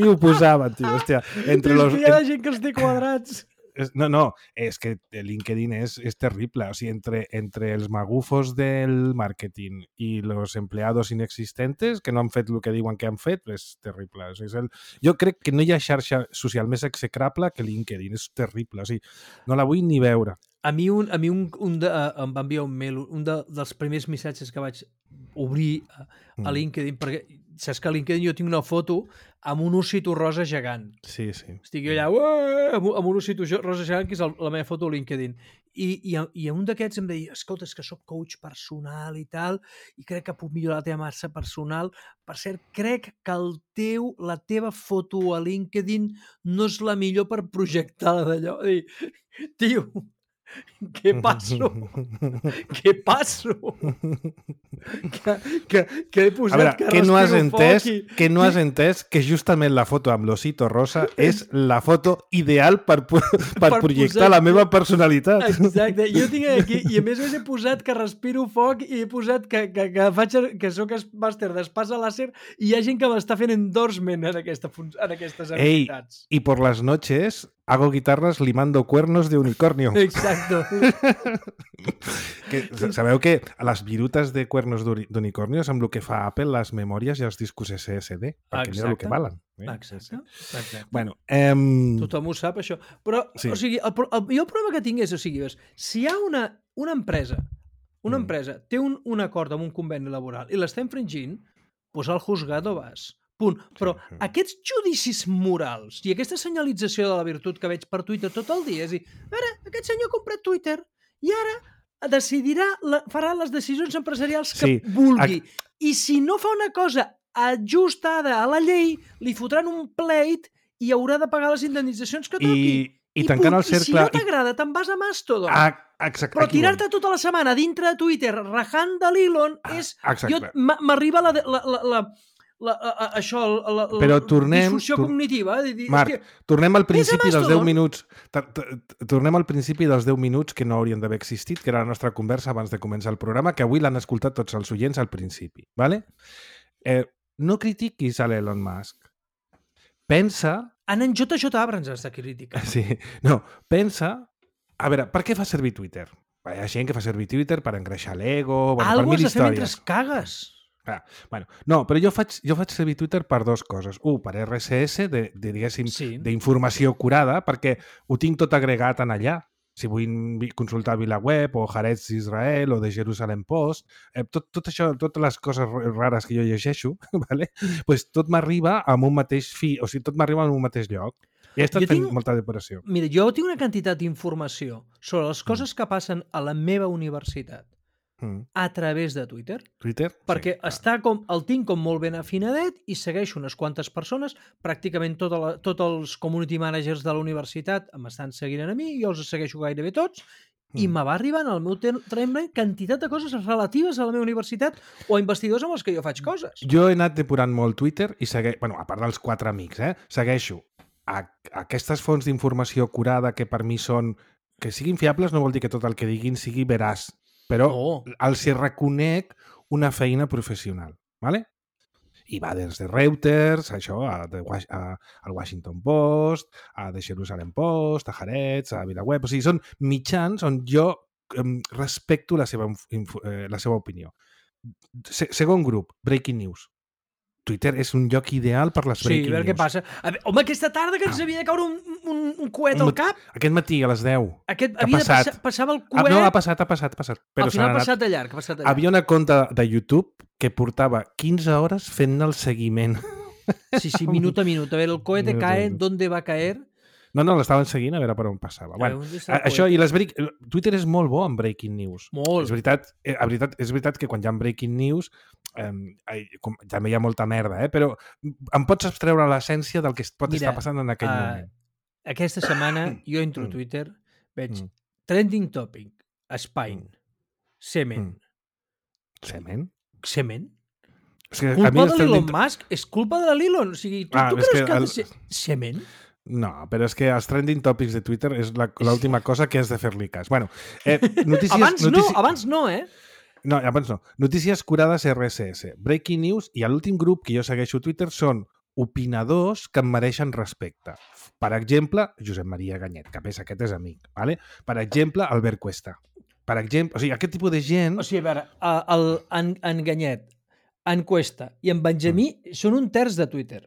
I ho posaven, tio. Hòstia, hi ha gent que els té quadrats. No, és que LinkedIn és terrible. O sigui, entre els magufos del màrqueting i els empleados inexistentes que no han fet el que diuen que han fet, és terrible. O sigui, jo crec que no hi ha xarxa social més execrable que LinkedIn. És terrible. O sigui, no la vull ni veure. A mi em va enviar un mail, dels primers missatges que vaig obrir a LinkedIn, perquè saps que a LinkedIn jo tinc una foto amb un ossito rosa gegant. Sí. Estic jo allà amb un ossito rosa gegant, que és la meva foto a LinkedIn. I un d'aquests em deia, escolta, és que soc coach personal i tal, i crec que puc millorar la teva marca personal. Per cert, crec que la teva foto a LinkedIn no és la millor per projectar d'allò. Tio, què passo? Que he posat a veure, que no has entès que no has entès que justament la foto amb l'osito rosa és la foto ideal per projectar la meva personalitat. Exacte. Jo tinc aquí, i a més he posat que respiro foc i he posat que soc màster d'espasa làser i hi ha gent que m'està fent endorsement en aquestes habilitats. I por las noches hago guitarras limando cuernos de unicornio. Exacto. Sabeu que a les virutes de cuernos d'unicornio és amb el que fa Apple les memòries i els discos SSD, perquè mira el que valen. Exacte. Bueno, tothom ho sap, això. Però, sí. O sigui, jo el problema que tinc és, o sigui, si hi ha una empresa té un acord amb un conveni laboral i l'està infringint, doncs al juzgado vas. Punt. Però aquests judicis morals i aquesta senyalització de la virtut que veig per Twitter tot el dia, és dir, ara, aquest senyor ha comprat Twitter i ara farà les decisions empresarials que vulgui. I si no fa una cosa ajustada a la llei, li fotran un pleit i haurà de pagar les indemnitzacions que toqui. I tancant el cercle... I si no t'agrada, te'n vas a Mastodon. Exacte. Però tirar-te tota la setmana dintre de Twitter rajant de l'Elon és... M'arriba però disfunció cognitiva. Marc, tornem al principi dels 10 minuts. Tornem al principi dels 10 minuts que no haurien d'haver existit, que era la nostra conversa abans de començar el programa, que avui l'han escoltat tots els oients al principi. ¿Vale? No critiquis a l'Elon Musk. Pensa... En JJ Abrams està crítica. Sí. No, pensa... A veure, per què fa servir Twitter? Hi ha gent que fa servir Twitter per engreixar l'ego... per mil històries. Algo has de fer mentre cagues. No, però jo faig servir Twitter per dues coses. Un, per RSS, diguéssim, d'informació curada, perquè ho tinc tot agregat en allà. Si vull consultar VilaWeb o Haaretz d'Israel o de Jerusalem Post, tot això, totes les coses rares que jo llegeixo, ¿vale? Pues tot m'arriba amb un mateix tot m'arriba en un mateix lloc. I he estat fent molta depuració. Mira, jo tinc una quantitat d'informació sobre les coses que passen a la meva universitat a través de Twitter. Perquè el tinc com molt ben afinadet i segueixo unes quantes persones, pràcticament tots els community managers de la universitat m'estan seguint a mi, jo els segueixo gairebé tots, i me va arribar al meu timeline quantitat de coses relatives a la meva universitat o a investigadors amb els que jo faig coses. Jo he anat depurant molt Twitter i a part dels 4 amics, segueixo aquestes fonts d'informació curada que per mi són... Que siguin fiables no vol dir que tot el que diguin sigui veraç, però els hi reconec una feina professional, ¿vale? I va des de Reuters, això, al Washington Post, a The Jerusalem Post, a Haaretz, a VilaWeb... O sigui, són mitjans on jo respecto la seva opinió. Segon grup, Breaking News. Twitter és un lloc ideal per les breaking news. Sí, a veure què passa. Home, aquesta tarda que ens havia de caure un coet al cap. Aquest matí, a les 10. Passava el coet. No, ha passat. Però al final ha passat de llarg. Havia una compte de YouTube que portava 15 hores fent-ne el seguiment. Sí, minut a minut. A veure, el coet cae, ¿dónde va a caer? No, l'estaven seguint a veure per on passava. Bueno, això, i Twitter és molt bo en breaking news. Molt. És veritat que quan hi ha breaking news també hi ha molta merda, però em pots abstreure l'essència del que pot estar passant en aquell moment. Aquesta setmana jo entro a Twitter, veig trending topic, Spain, semen. Semen? Semen? Culpa de l'Elon Musk? És culpa de l'Elon? O sigui, tu creus que ha de ser semen? No, però és que els trending topics de Twitter és l'última cosa que has de fer-li cas. Bueno, abans no, eh? No, abans no. Notícies curades RSS. Breaking News i l'últim grup que jo segueixo a Twitter són opinadors que em mereixen respecte. Per exemple, Josep Maria Ganyet, que aquest és amic. ¿vale? Per exemple, Albert Cuesta. Per exemple, o sigui, aquest tipus de gent... O sigui, a veure, en Ganyet, en Cuesta i en Benjamí són un terç de Twitter.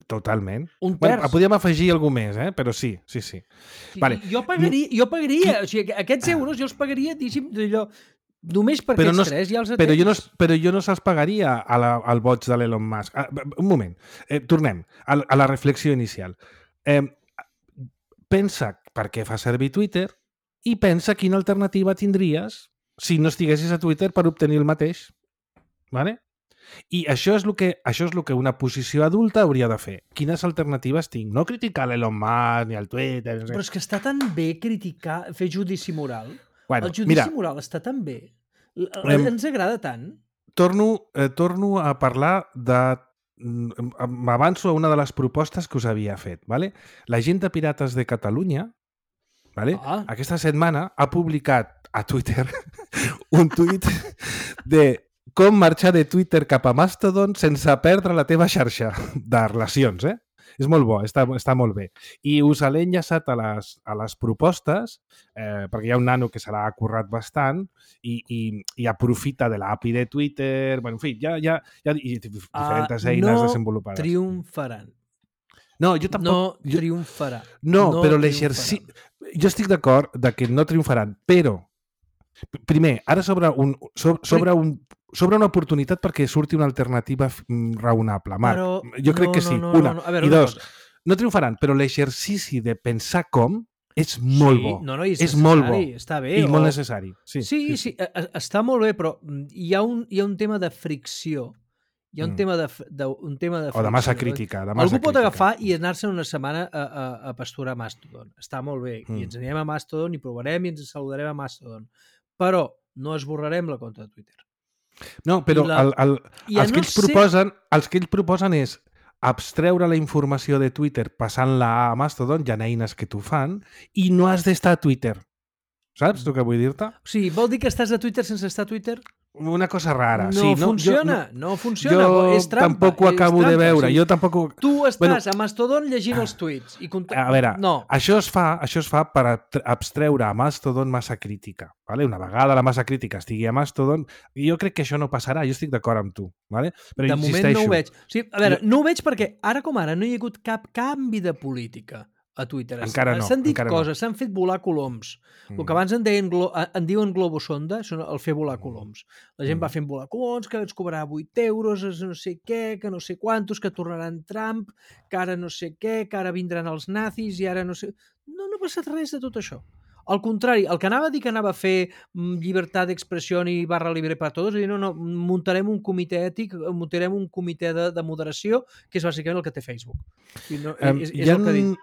Totalment. Un terç. Bueno, podíem afegir algú més, però sí. Vale. Jo pagaria, o sigui, aquests euros jo els pagaria, diguéssim, només per aquests tres ja els atens. Però jo no se'ls pagaria al boig de l'Elon Musk. Un moment, tornem a la reflexió inicial. Pensa per què fa servir Twitter i pensa quina alternativa tindries si no estiguessis a Twitter per obtenir el mateix. Vale? I això és el que una posició adulta hauria de fer. Quines alternatives tinc? No criticar l'Elon Musk ni el Twitter... Però és que està tan bé fer judici moral. Bueno, el judici moral està tan bé. Ens agrada tant. Torno a parlar de... M'avanço a una de les propostes que us havia fet. ¿vale? La gent de Pirates de Catalunya aquesta setmana ha publicat a Twitter un tuit de com marxar de Twitter cap a Mastodon sense perdre la teva xarxa de relacions, És molt bo, està molt bé. I us l'he enllaçat a les propostes, perquè hi ha un nano que se l'ha currat bastant i aprofita de l'API de Twitter, bueno, en fi, hi ha diferents eines desenvolupades. No triomfaran. No, jo tampoc... No triomfarà. No, però l'exercici... Jo estic d'acord que no triomfaran, però primer, ara s'obre una oportunitat perquè surti una alternativa raonable. Marc, jo crec que sí. Una. I dos, no triomfaran, però l'exercici de pensar com és molt bo. És molt bo. Està bé. I molt necessari. Sí, està molt bé, però hi ha un tema de fricció. Hi ha un tema de fricció. O de massa crítica. Algú pot agafar i anar-se'n una setmana a pasturar Mastodon. Està molt bé. I ens anirem a Mastodon i provarem i ens saludarem a Mastodon. Però no esborrarem la compte de Twitter. No, però els que ells proposen és abstreure la informació de Twitter passant-la a Mastodon, hi ha eines que t'ho fan, i no has d'estar a Twitter. Saps el que vull dir-te? O sigui, vol dir que estàs a Twitter sense estar a Twitter? Una cosa rara. No funciona. Jo és trampa. Tampoc ho acabo de veure. Jo tampoc... Tu estàs a Mastodon llegint els tuits. A veure, això es fa per abstreure a Mastodon massa crítica. Vale? Una vegada la massa crítica estigui a Mastodon, jo crec que això no passarà. Jo estic d'acord amb tu. Vale? Però de moment no ho veig. O sigui, a veure, no ho veig perquè ara com ara no hi ha hagut cap canvi de política a Twitter. Encara no. S'han dit coses, s'han fet volar coloms. El que abans en diuen globosonda, són el fer volar coloms. La gent va fent volar coloms, que ens cobrarà 8 euros, no sé què, que no sé quantos, que tornaran Trump, que ara no sé què, que ara vindran els nazis i ara no sé... No ha passat res de tot això. Al contrari, el que anava a dir que anava a fer llibertat d'expressió i barra libre per a tots, és dir, no, muntarem un comitè ètic, muntarem un comitè de moderació, que és bàsicament el que té Facebook. És el que ha dit.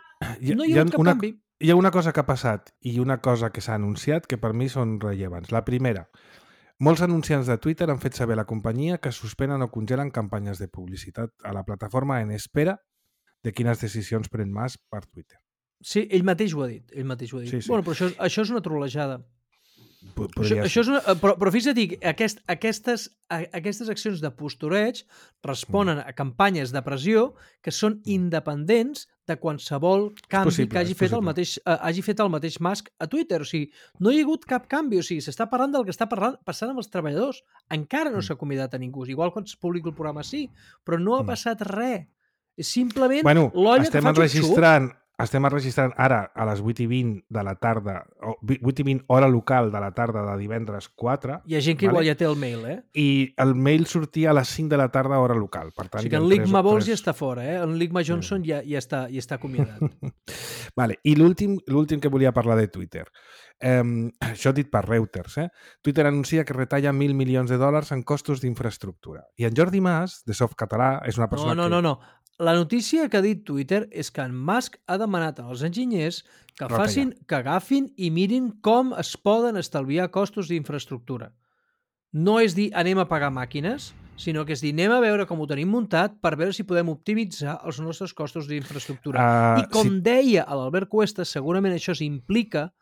No hi ha cap canvi. hi ha una cosa que ha passat i una cosa que s'ha anunciat que per mi són rellevants. La primera, molts anunciants de Twitter han fet saber a la companyia que suspenen o congelen campanyes de publicitat a la plataforma en espera de quines decisions pren Musk per Twitter. Sí, ell mateix ho ha dit. Sí. Bueno, però això és una trolejada. Podria Això ser. és una, però fixa't, aquestes accions de postureig responen a campanyes de pressió que són independents de qualsevol canvi que hagi fet el mateix Musk a Twitter. O sigui, no hi ha hagut cap canvi. O sigui, s'està parlant del que està passant amb els treballadors. Encara no s'ha convidat a ningú. Igual quan es publica el programa sí, però no ha passat res. És simplement l'olla que fa xup-xup. Estem enregistrant ara a les 8:20 de la tarda, 8:20 hora local de la tarda de divendres 4. Hi ha gent que igual ja té el mail, I el mail sortia a les 5 de la tarda hora local. Per tant, o sigui que en Ligma Bols ja està fora, En Ligma Johnson ja està acomiadat. Vale. I l'últim que volia parlar de Twitter. Això dit per Reuters. Twitter anuncia que retalla $1.000 milions en costos d'infraestructura. I en Jordi Mas, de Softcatalà, és una persona No. La notícia que ha dit Twitter és que en Musk ha demanat als enginyers que agafin i mirin com es poden estalviar costos d'infraestructura. No és dir anem a pagar màquines, sinó que és dir anem a veure com ho tenim muntat per veure si podem optimitzar els nostres costos d'infraestructura. I com deia l'Albert Cuesta, segurament això s'implica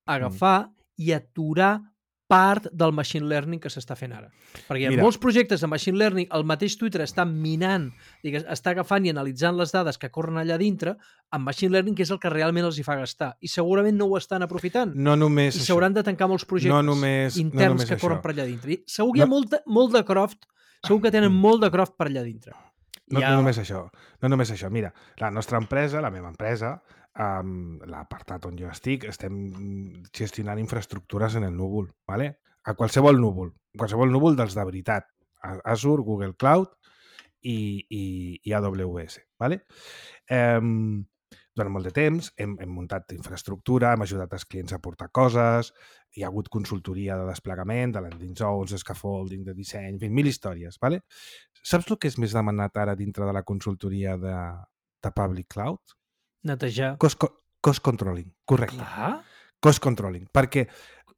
agafar i aturar part del machine learning que s'està fent ara. Perquè hi ha molts projectes de machine learning, el mateix Twitter està minant, està agafant i analitzant les dades que corren allà dintre amb machine learning, que és el que realment els hi fa gastar. I segurament no ho estan aprofitant. No només I s'hauran de tancar molts projectes interns que corren per allà dintre. I segur que hi ha molt de Croft, segur que tenen molt de Croft per allà dintre. No només això. Mira, la nostra empresa, la meva empresa, l'apartat on jo estic, estem gestionant infraestructures en el núvol, ¿vale? A qualsevol núvol dels de veritat, Azure, Google Cloud i AWS, ¿vale? Durant molt de temps hem muntat infraestructura, hem ajudat els clients a portar coses, hi ha hagut consultoria de desplegament, de landing zones, de scaffolding, de disseny, en fi, 1000 històries, ¿vale? Saps el que és més demanat ara dintre de la consultoria de Public Cloud? Netejar. Cost controlling, correcte. Clar. Cost controlling, perquè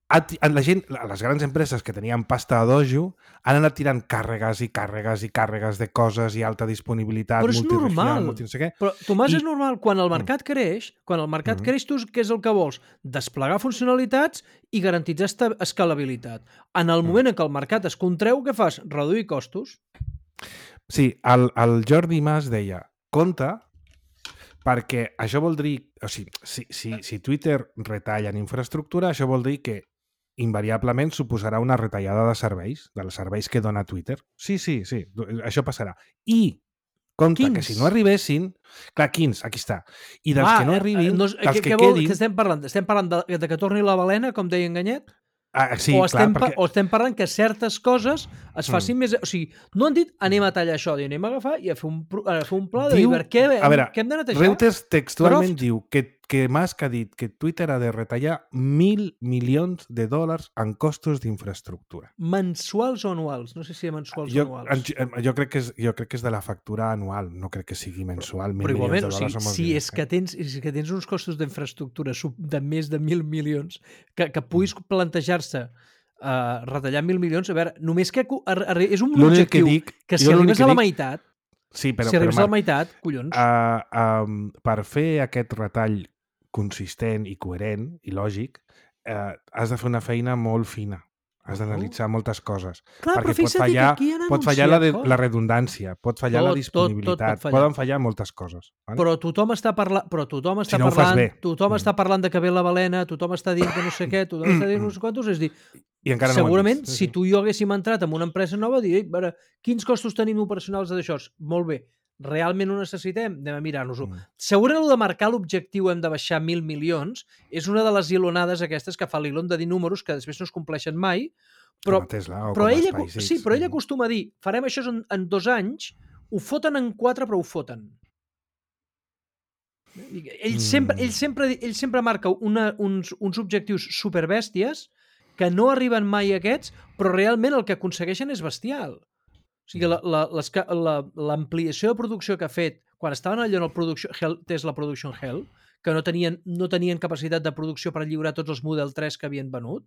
la gent, les grans empreses que tenien pasta a dojo han anat tirant càrregues i càrregues de coses i alta disponibilitat, però és normal. No sé què. Però, Tomàs, és normal. Quan el mercat creix, creix, tu què és el que vols? Desplegar funcionalitats i garantitzar escalabilitat. En el moment en què el mercat es contreu, què fas? Reduir costos. Sí, el Jordi Mas deia, compte, perquè això vol dir, o sigui, si Twitter retalla en infraestructura, això vol dir que invariablement suposarà una retallada de serveis, dels serveis que dona Twitter. Sí, això passarà. I, compte, que si no arribessin... Clar, quins, aquí està. I dels que no arribin, dels que quedin... Què estem parlant? Estem parlant de que torni la balena, com deia en Ganyet? Sí, o estem parlant que certes coses es facin més... O sigui, no han dit anem a tallar això, anem a agafar i a fer un pla de dir què hem de netejar. Reuters textualment diu que Musk ha dit que Twitter ha de retallar $1.000 milions en costos d'infraestructura. Mensuals o anuals? No sé si mensuals o anuals. Jo crec que és de la factura anual, no crec que sigui mensual. Però igualment, si és que tens uns costos d'infraestructura de més de 1.000 milions, que puguis plantejar-se retallar 1.000 milions, a veure, només que és un objectiu que si arribes a la meitat, si arribes a la meitat, collons. Per fer aquest retall consistent i coherent i lògic, has de fer una feina molt fina. Has d'analitzar moltes coses. Clar, perquè pot fallar la redundància, pot fallar la disponibilitat, poden fallar moltes coses. Vale? Però tothom està parlant està parlant de que ve la balena, tothom està dient que no sé què, tothom està dient no sé quantos, és dir, segurament si tu i jo haguéssim entrat en una empresa nova, diré, quins costos tenim operacionals d'això? Molt bé. Realment ho necessitem? Anem a mirar-nos-ho. Segurament el de marcar l'objectiu hem de baixar 1.000 milions és una de les ilonades aquestes que fa l'Elon de dir números que després no es compleixen mai, però ell acostuma a dir farem això en 2 anys, ho foten en 4 però ho foten. Ell sempre marca uns objectius superbèsties que no arriben mai a aquests, però realment el que aconsegueixen és bestial. O sigui, l'ampliació de producció que ha fet quan estaven allò en el Tesla Production Hell, que no tenien capacitat de producció per lliurar tots els Model 3 que havien venut,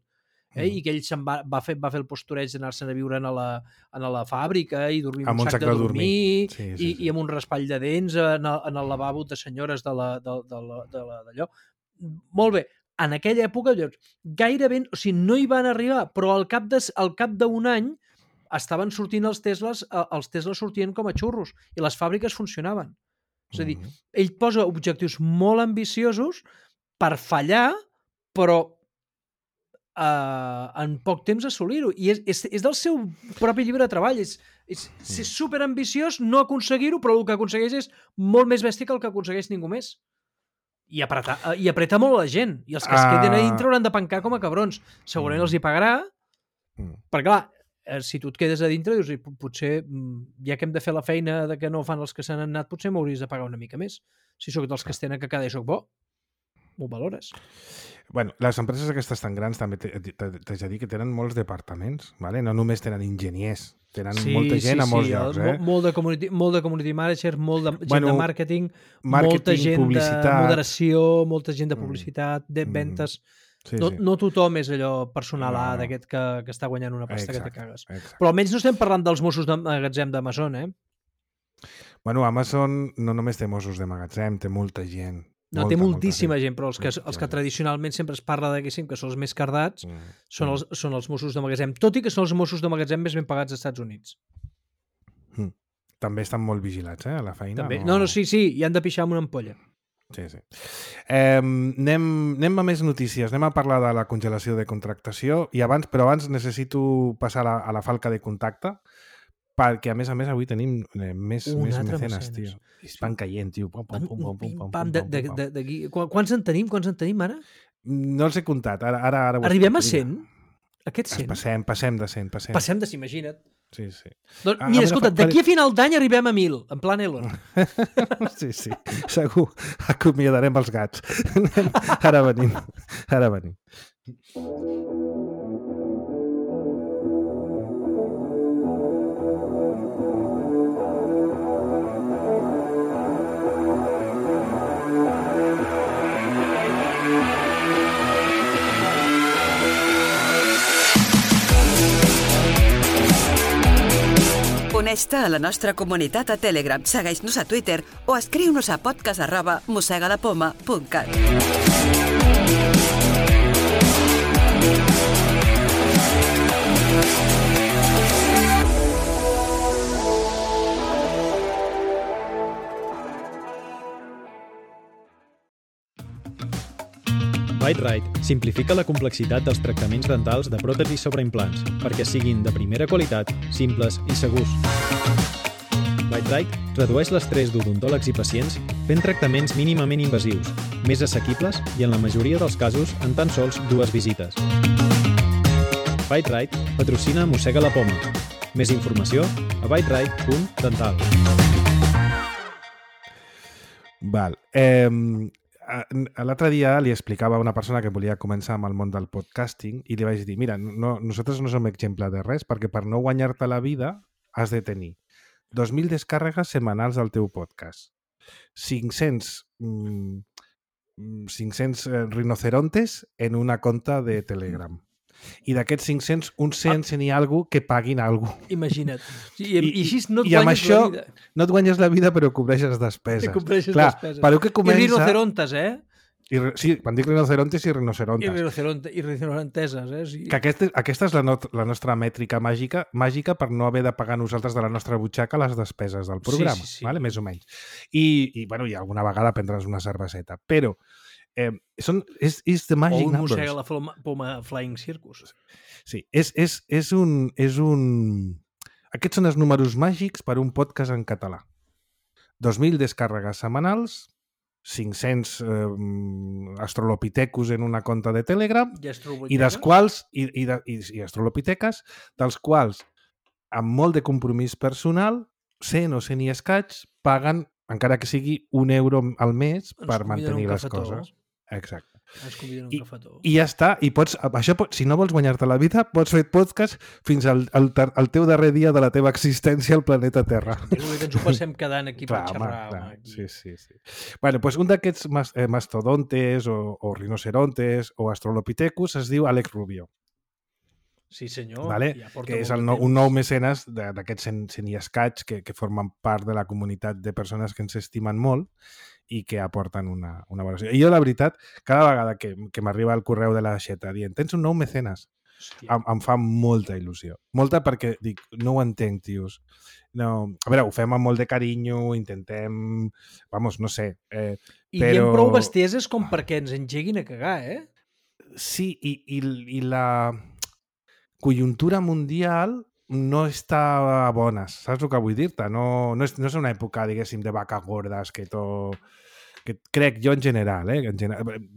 i que ell va fer el postureig d'anar-se'n a viure a la fàbrica i dormir amb un sac de dormir i amb un raspall de dents en el lavabo de senyores d'allò. Molt bé, en aquella època gairebé, o sigui, no hi van arribar, però al cap d'un any estaven sortint els Teslas sortien com a xurros i les fàbriques funcionaven. És a dir, ell posa objectius molt ambiciosos per fallar, però en poc temps assolir-ho. I és del seu propi llibre de treball. És superambiciós no aconseguir-ho, però el que aconsegueix és molt més bèstia que el que aconsegueix ningú més. I apreta molt la gent. I els que es queden a dintre hauran de pencar com a cabrons. Segurament els hi pagarà, perquè clar, si tu et quedes a dintre, dius, potser, ja que hem de fer la feina de que no fan els que s'han anat, potser m'hauries de pagar una mica més. Si sóc dels que es tenen que quedar i sóc bo, m'ho valores. Bueno, les empreses aquestes tan grans també t'haig de dir que tenen molts departaments, ¿vale? No només tenen enginyers, tenen molta gent a molts llocs. Molt de community manager, molt de gent de màrqueting, molta gent publicitat, de moderació, molta gent de publicitat, de ventes. No tothom és allò personal d'aquest que està guanyant una pasta que te cagues. Però almenys no estem parlant dels Mossos de magatzem d'Amazon, Bueno, Amazon no només té Mossos de magatzem, té molta gent. No, té moltíssima gent, però els que tradicionalment sempre es parla d'aquessin, que són els més cardats, són els Mossos de magatzem, tot i que són els Mossos de magatzem més ben pagats als Estats Units. També estan molt vigilats, a la feina. També. No, sí, i han de pixar amb una ampolla. Sí. Anem a més notícies, anem a parlar de la congelació de contractació, però abans necessito passar a la falca de contacte, perquè a més avui tenim més mecenes, tio. Estan caient, tio. Quants en tenim ara? No els he comptat. Ara arribem a 100? Aquests 100? Passem de 100. Passem de 100, imagina't. Sí. Doncs, mira, escolta, d'aquí a final d'any arribem a 1.000, en plan Elon. Sí, segur. Acomiadarem els gats. Ara venim. Uneix-te a la nostra comunitat a Telegram, segueix-nos a Twitter o escriu-nos a podcast@mossegalapoma.cat. Bite-Rite simplifica la complexitat dels tractaments dentals de pròtesis sobre implants perquè siguin de primera qualitat, simples i segurs. Bite-Rite redueix l'estrès d'odontòlegs i pacients fent tractaments mínimament invasius, més assequibles i en la majoria dels casos en tan sols 2 visites. Bite-Rite patrocina Mossega la Poma. Més informació a biterite.dental. Val. L'altre dia li explicava a una persona que volia començar amb el món del podcasting i li vaig dir, mira, nosaltres no som exemple de res perquè per no guanyar-te la vida has de tenir 2.000 descàrregues setmanals del teu podcast, 500 rinocerontes en una conta de Telegram. I d'aquests 500, uns 100 n'hi ha algú que paguin a algú. Imagina't. I així no et guanyes la vida. No et guanyes la vida, però cobreixes despeses. Clar, per que comença... I rinocerontes, Sí, quan dic rinocerontes i rinocerontes. I rinoceronteses, Sí. Que aquesta és la nostra mètrica màgica per no haver de pagar nosaltres de la nostra butxaca les despeses del programa, sí. Vale? Més o menys. I alguna vegada prendre's una cerveseta. Però és the magic numbers. O un Mossega la Poma Flying Circus. Sí, és un... Aquests són els números màgics per un podcast en català. 2.000 descàrregues setmanals, 500 astrolopithecus en una conta de Telegram i dels quals i astrolopiteques, dels quals amb molt de compromís personal 100 o 100 i escaig paguen, encara que sigui €1 al mes per mantenir les coses. Exacte. Ens conviden un cafetó. I ja està. I pots, això, si no vols guanyar-te la vida, pots fer podcast fins al teu darrer dia de la teva existència al planeta Terra. Que ens ho passem quedant aquí per xerrar. Aquí. Sí. Bueno, pues un d'aquests mastodontes o rinocerontes o australopithecus es diu Alex Rubio. Sí, senyor. Vale? Que és un nou mecenes d'aquests 100 i escaig que formen part de la comunitat de persones que ens estimen molt i que aporten una valoració. I jo, la veritat, cada vegada que m'arriba el correu de la Xeta dient tens un nou mecenes, em fa molta il·lusió. Molta perquè dic, no ho entenc, tios. No, a veure, ho fem amb molt de carinyo, intentem... Vamos, no sé. I diem prou bestieses com perquè ens engeguin a cagar, Sí, i la conjuntura mundial no està a bones, saps el que vull dir-te? No és una època, diguéssim, de vaques gordes que crec jo en general,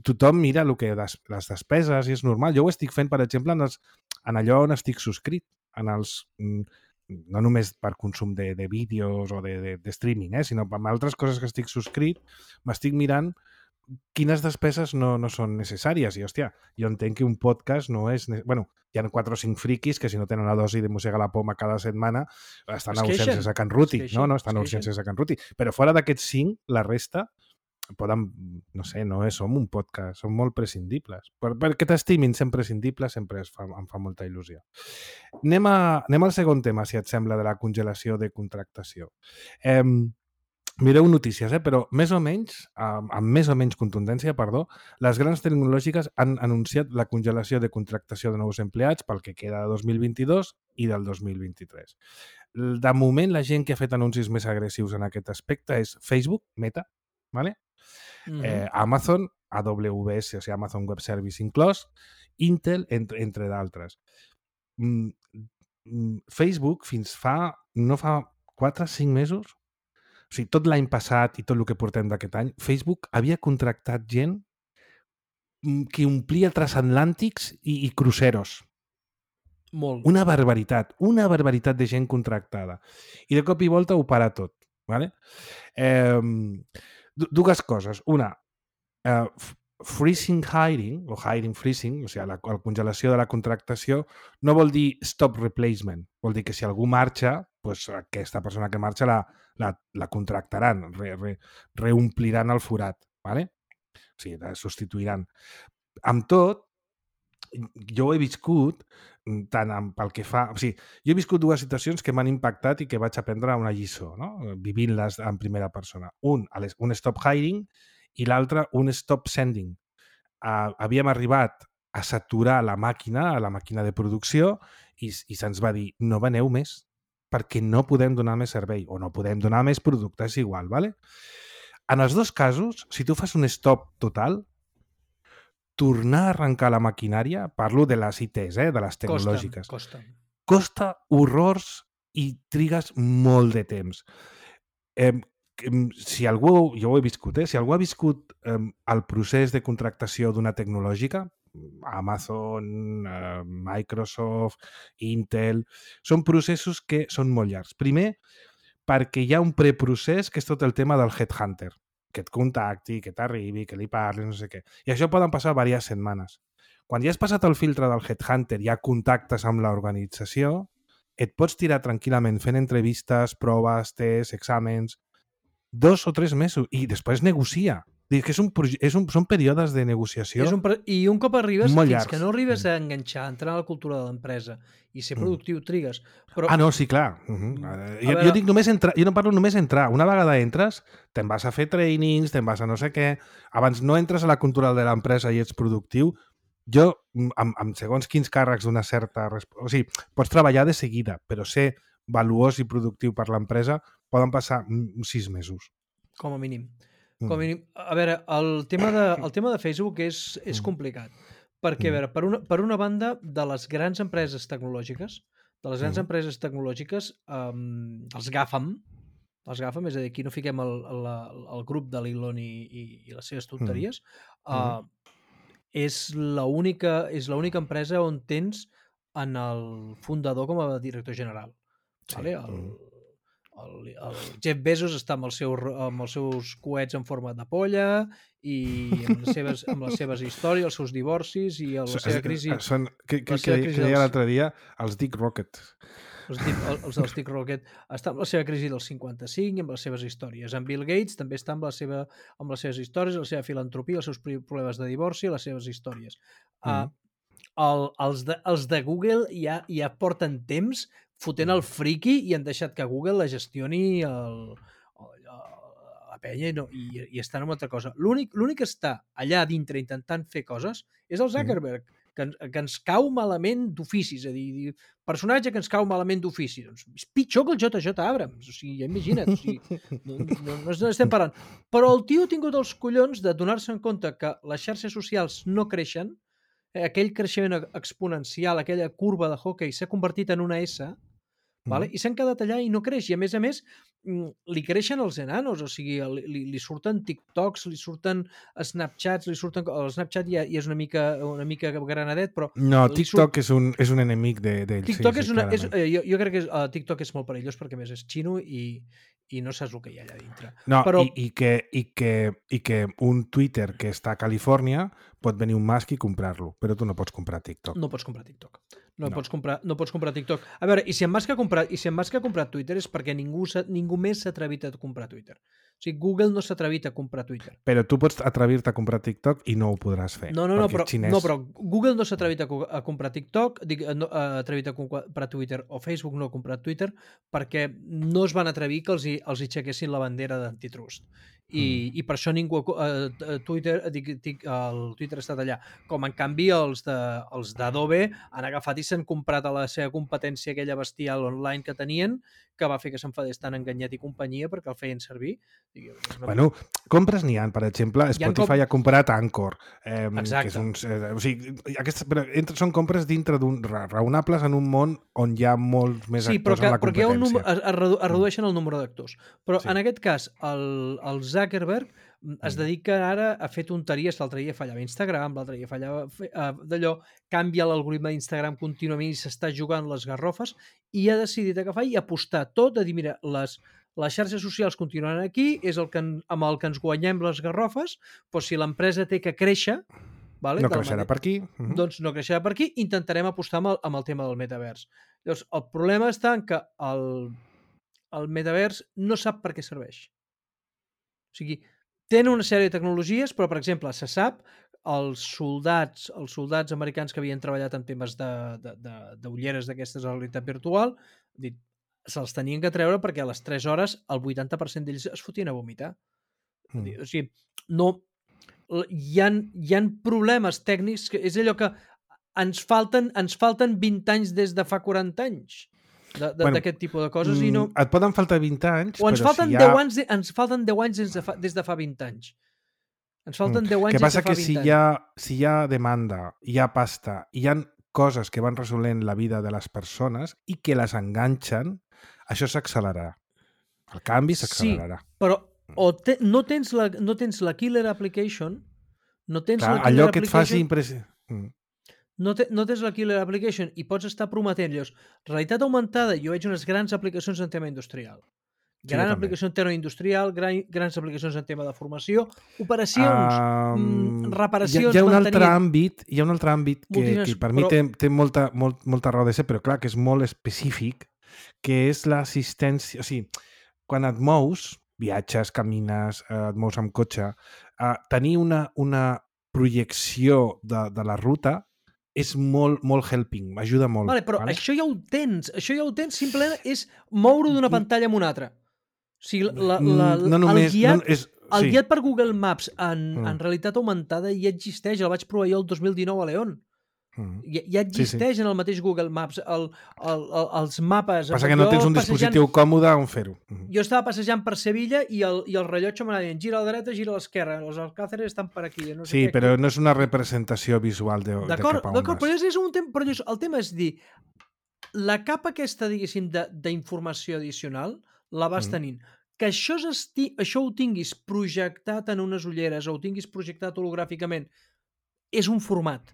tothom mira les despeses i és normal. Jo ho estic fent, per exemple, en allò on estic subscrit, no només per consum de vídeos o de streaming, sinó amb altres coses que estic subscrit, m'estic mirant quines despeses no són necessàries. I, hòstia, jo entenc que un podcast no és... Bueno, hi ha 4 o 5 friquis que si no tenen la dosi de mossega la poma cada setmana estan a urgències a Can Ruti, no? Estan a urgències a Can Ruti. Però fora d'aquests 5, la resta poden, no sé, no som un podcast, som molt prescindibles. Perquè t'estimin sent prescindibles sempre em fa molta il·lusió. Anem al segon tema, si et sembla, de la congelació de contractació. Mireu notícies, però més o menys, amb més o menys contundència, les grans tecnològiques han anunciat la congelació de contractació de nous empleats pel que queda de 2022 i del 2023. De moment, la gent que ha fet anuncis més agressius en aquest aspecte és Facebook, Meta, ¿vale? Amazon, AWS, o sigui, Amazon Web Service inclòs, Intel, entre d'altres. Facebook, no fa 4 o 5 mesos, o sigui, tot l'any passat i tot el que portem d'aquest any, Facebook havia contractat gent que omplia transatlàntics i cruceros. Molt. Una barbaritat de gent contractada. I de cop i volta ho para tot. ¿Vale? Dues coses. Una, freezing hiring, o hiring freezing, o sigui, la congelació de la contractació, no vol dir stop replacement. Vol dir que si algú marxa, doncs aquesta persona que marxa la contractaran, reompliran el forat, ¿vale? O sigui, la substituiran. Amb tot, jo ho he viscut tant pel que fa... O sigui, jo he viscut 2 situacions que m'han impactat i que vaig aprendre una lliçó, no? Vivint-les en primera persona. Un stop hiring i l'altre, un stop sending. Havíem arribat a saturar la màquina de producció i se'ns va dir, no veneu més, perquè no podem donar més servei o no podem donar més producte, és igual, ¿vale? En els 2 casos, si tu fas un stop total, tornar a arrencar la maquinària, parlo de les ITs, de les tecnològiques. Costa horrors i trigues molt de temps. Si algú, jo ho he viscut, si algú ha viscut el procés de contractació d'una tecnològica, Amazon, Microsoft, Intel, són processos que són molt llargs. Primer, perquè hi ha un preprocés que és tot el tema del headhunter, que et contacti, que t'arribi, que li parli, no sé què. I això poden passar diverses setmanes. Quan ja has passat el filtre del headhunter, ja contactes amb l'organització, et pots tirar tranquil·lament fent entrevistes, proves, tests, exàmens, 2 o 3 mesos, i després negocia. Que són períodes de negociació I un cop arribes, molt fins llargs. que no arribes a enganxar, a entrar a la cultura de l'empresa i ser productiu, trigues. Però... no, sí, clar. Jo dic només entrar, jo no parlo només entrar. Una vegada entres, te'n vas a fer trainings, te'n vas a no sé què. Abans no entres a la cultura de l'empresa i ets productiu. Jo, amb segons quins càrrecs d'una certa... O sigui, pots treballar de seguida, però ser valuós i productiu per l'empresa poden passar 6 mesos. Com a mínim. Com a mínim. A veure, el tema de Facebook és complicat. Perquè, a veure, per una banda, de les grans empreses tecnològiques, els GAFAM, és a dir, aquí no fiquem el grup de l'Elon i les seves tonteries, és l'única empresa on tens en el fundador com a director general. Vale? El el Jeff Bezos està amb els seus coets en forma de polla i amb les seves històries, els seus divorcis i la seva crisi... Que deia l'altre dia els Dick Rocket. Els dels Dick Rocket està amb la seva crisi del 55 i amb les seves històries. En Bill Gates també està amb les seves històries, la seva filantropia, els seus problemes de divorci i les seves històries. Els de Google ja porten temps fotent el friki i han deixat que Google la gestioni la penya i estan en altra cosa. L'únic que està allà dintre intentant fer coses és el Zuckerberg, que ens cau malament d'ofici, és a dir, personatge que ens cau malament d'ofici. Doncs és pitjor que el JJ Abrams, o sigui, ja imagina't, o sigui, no estem parlant. Però el tio ha tingut els collons de donar-se en compte que les xarxes socials no creixen, aquell creixement exponencial, aquella curva de hockey s'ha convertit en una S, vale? I s'han quedat allà i no creix. I a més, li creixen els enanos, o sigui, li surten TikToks, li surten Snapchats, el Snapchat ja és una mica granadet, però... No, TikTok és un enemic d'ell. TikTok jo crec que TikTok és molt perillós perquè més és xino i no saps el que hi ha allà dintre. No, però... i que un Twitter que està a Califòrnia pot venir un Musk i comprar-lo, però tu no pots comprar TikTok. No pots comprar TikTok. No pots comprar TikTok. A veure, i si en Musk ha comprat Twitter és perquè ningú més s'ha atrevit a comprar Twitter. O sigui, Google no s'ha atrevit a comprar Twitter. Però tu pots atrevir-te a comprar TikTok i no ho podràs fer. No, però Google no s'ha atrevit a comprar TikTok, ha atrevit a comprar Twitter, o Facebook no ha comprat Twitter, perquè no es van atrevir que els hi aixequessin la bandera d'antitrust. I per això ningú el Twitter ha estat allà. Com en canvi els d'Adobe han agafat i s'han comprat a la seva competència aquella bestial online que tenien, que va fer que s'enfadés tant Enganyat i companyia perquè el feien servir. Bueno, compres n'hi ha, per exemple, Spotify ha comprat Anchor. Exacte. O sigui, són compres dintre raonables en un món on hi ha molts més actors en la competència. Es redueixen el número d'actors. Però en aquest cas, el Zuckerberg es dedica ara a fer tonteries. L'altre dia fallava Instagram, l'altre dia fallava d'allò, canvia l'algoritme d'Instagram contínuament i s'està jugant les garrofes i ha decidit agafar i apostar tot a dir, mira, les xarxes socials continuen aquí, és amb el que ens guanyem les garrofes, però si l'empresa té que créixer, no creixerà per aquí. Doncs no creixerà per aquí, intentarem apostar amb el tema del metavers. Llavors, el problema està en que el metavers no sap per què serveix. O sigui, tenen una sèrie de tecnologies, però, per exemple, se sap els soldats americans que havien treballat en temes d'ulleres d'aquestes de realitat virtual, se'ls tenien que treure perquè a les 3 hores el 80% d'ells es fotien a vomitar. O sigui, no... Hi ha problemes tècnics, que és allò que ens falten 20 anys des de fa 40 anys d'aquest tipus de coses i no... Et poden faltar 20 anys, o ens falten 10 anys des de fa 20 anys. Ens falten 10 anys des de fa 20 anys. Que passa que si hi ha demanda, hi ha pasta, hi ha coses que van resolent la vida de les persones i que les enganxen, això s'accelerarà. El canvi s'accelerarà. Sí, però no tens la killer application, allò que et faci impressió. No tens la killer application i pots estar prometent-los realitat augmentada. Jo veig unes grans aplicacions en tema industrial. Gran aplicació en tema industrial, grans aplicacions en tema de formació, operacions, reparacions, hi ha un altre àmbit que per mi té molta raó de ser, però clar, que és molt específic, que és l'assistència. O sigui, quan et mous, viatges, camines, et mous amb cotxe, tenir una projecció de la ruta és molt helping, m'ajuda molt. Vale, però això ja ho tens, simplement és moure d'una pantalla a una altra. O sigui, el guiat per Google Maps en realitat augmentada ja existeix, el vaig provar jo el 2019 a León. Ja existeix en el mateix Google Maps els mapes. Passa que no tens un dispositiu còmode on fer-ho. Jo estava passejant per Sevilla i el rellotge m'anava dient gira a la dreta, gira a l'esquerra, els Alcáceres estan per aquí. No sé però no és una representació visual de cap a on vas. D'acord, però el tema és dir, la capa aquesta, diguéssim, d'informació addicional la vas tenint. Que això ho tinguis projectat en unes ulleres o ho tinguis projectat hologràficament és un format.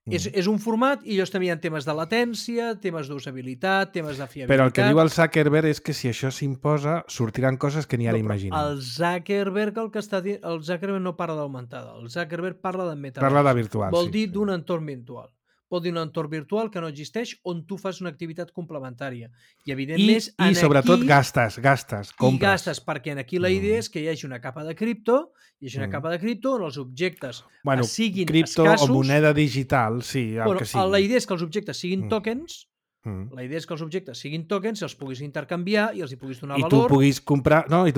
És un format i ells tenien temes de latència, temes d'usabilitat, temes de fiabilitat... Però el que diu el Zuckerberg és que si això s'imposa, sortiran coses que ni ara imaginem. El Zuckerberg el Zuckerberg no parla d'augmentada, el Zuckerberg parla de metavers. Parla de virtual, Vol dir d'un entorn virtual. Vol dir un entorn virtual que no existeix on tu fas una activitat complementària. I evidentment... I sobretot gastes, compres. I gastes, perquè aquí la idea és que hi hagi una capa de cripto, capa de cripto on els objectes siguin cripto escassos... o moneda digital, sí, que sigui. La idea és que els objectes siguin tokens, la idea és que els objectes siguin tokens, els puguis intercanviar i els hi puguis donar valor. I tu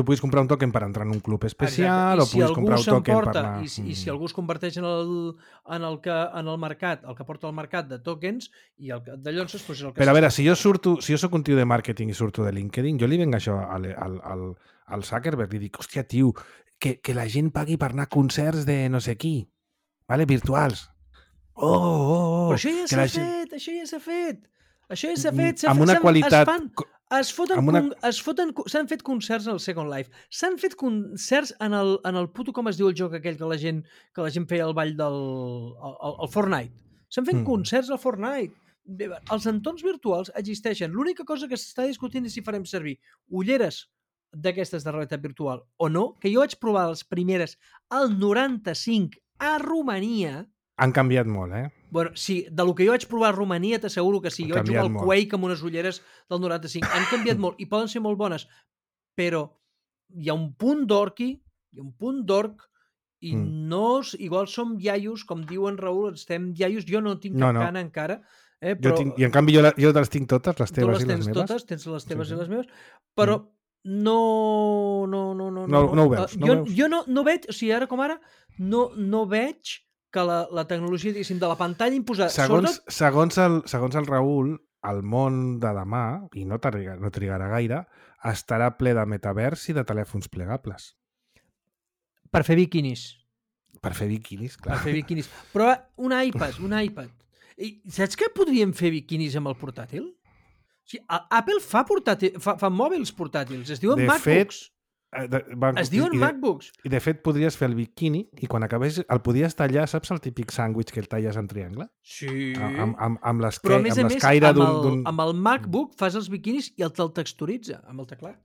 puguis comprar un token per entrar en un club especial, o puguis comprar un token per anar... I si algú es converteix en el mercat, el que porta al mercat de tokens, i de llavors és el que... Però a veure, si jo soc un tio de màrqueting i surto de LinkedIn, jo li venc això al Zuckerberg, li dic, hòstia, tio, que la gent pagui per anar a concerts de no sé qui, vale? Virtuals. Però això ja s'ha fet, Això ja s'ha fet. Amb una qualitat... S'han fet concerts al Second Life. S'han fet concerts en el puto, com es diu el joc aquell que la gent feia el ball del Fortnite. S'han fet concerts al Fortnite. Els entorns virtuals existeixen. L'única cosa que s'està discutint és si farem servir ulleres d'aquestes de realitat virtual o no, que jo vaig provar les primeres al 95 a Romania. Han canviat molt, eh? Bueno, sí, de lo que jo vaig provar a Romania t'asseguro que sí. Jo vaig jugar al Quake amb unes ulleres del 95. Han canviat molt i poden ser molt bones, però hi ha un punt d'orc i no... Igual som iaios, com diuen Raül, estem iaios. Jo no tinc cap cana encara. Però... I en canvi jo les tinc totes, les teves i les meves. Totes, tens les teves i les meves, però no ho veus. Jo no veig, o sigui, ara com ara, no veig que la tecnologia, diguéssim, de la pantalla imposada... Segons el Raül, el món de demà, i no trigarà gaire, estarà ple de metavers i de telèfons plegables. Per fer biquinis. Per fer biquinis, clar. Per fer biquinis. Però un iPad. I saps que podríem fer biquinis amb el portàtil? O sigui, Apple fa mòbils portàtils, es diuen MacBooks. Es diuen MacBooks. I de fet podries fer el biquini i quan acabés el podies tallar, saps el típic sàndwich que el talles en triangle? Sí. Amb l'escaire però a més d'un... amb el MacBook fas els biquinis i te'l texturitza amb el teclat.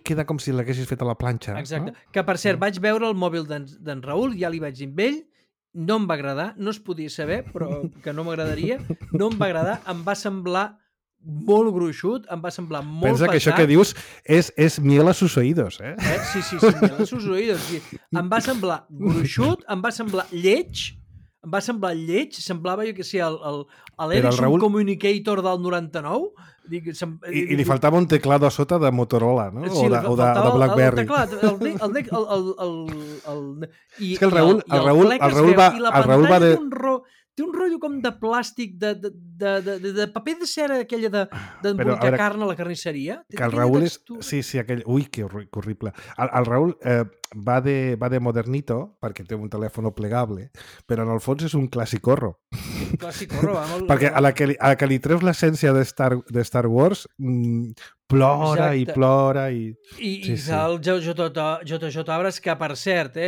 Queda com si l'haguessis fet a la planxa. Exacte. No? Que per cert, vaig veure el mòbil d'en Raül, ja li vaig dir amb ell, no em va agradar, no es podia saber, però que no m'agradaria, no em va agradar, em va semblar molt gruixut, em va semblar molt Pensa pesat. Que això que dius és miel a sus oídos, eh? Sí, miel a sus oídos. Sí. Em va semblar gruixut, em va semblar lleig, semblava, jo que sé, l'Ericsson Communicator del 99. I li faltava un teclado a sota de Motorola, no? Sí, o de BlackBerry. És que el Raül va de... Té un rotllo com de plàstic, de paper de cera, aquella d'embolicar carn a la carnisseria. Que el Raül és... Sí, aquell... Ui, que horrible. El Raül va de modernito, perquè té un telèfon plegable, però en el fons és un classicorro. Classicorro, va molt... Perquè a la que li treus l'essència de Star Wars, plora i plora i... I el JJ Abrams, que per cert, o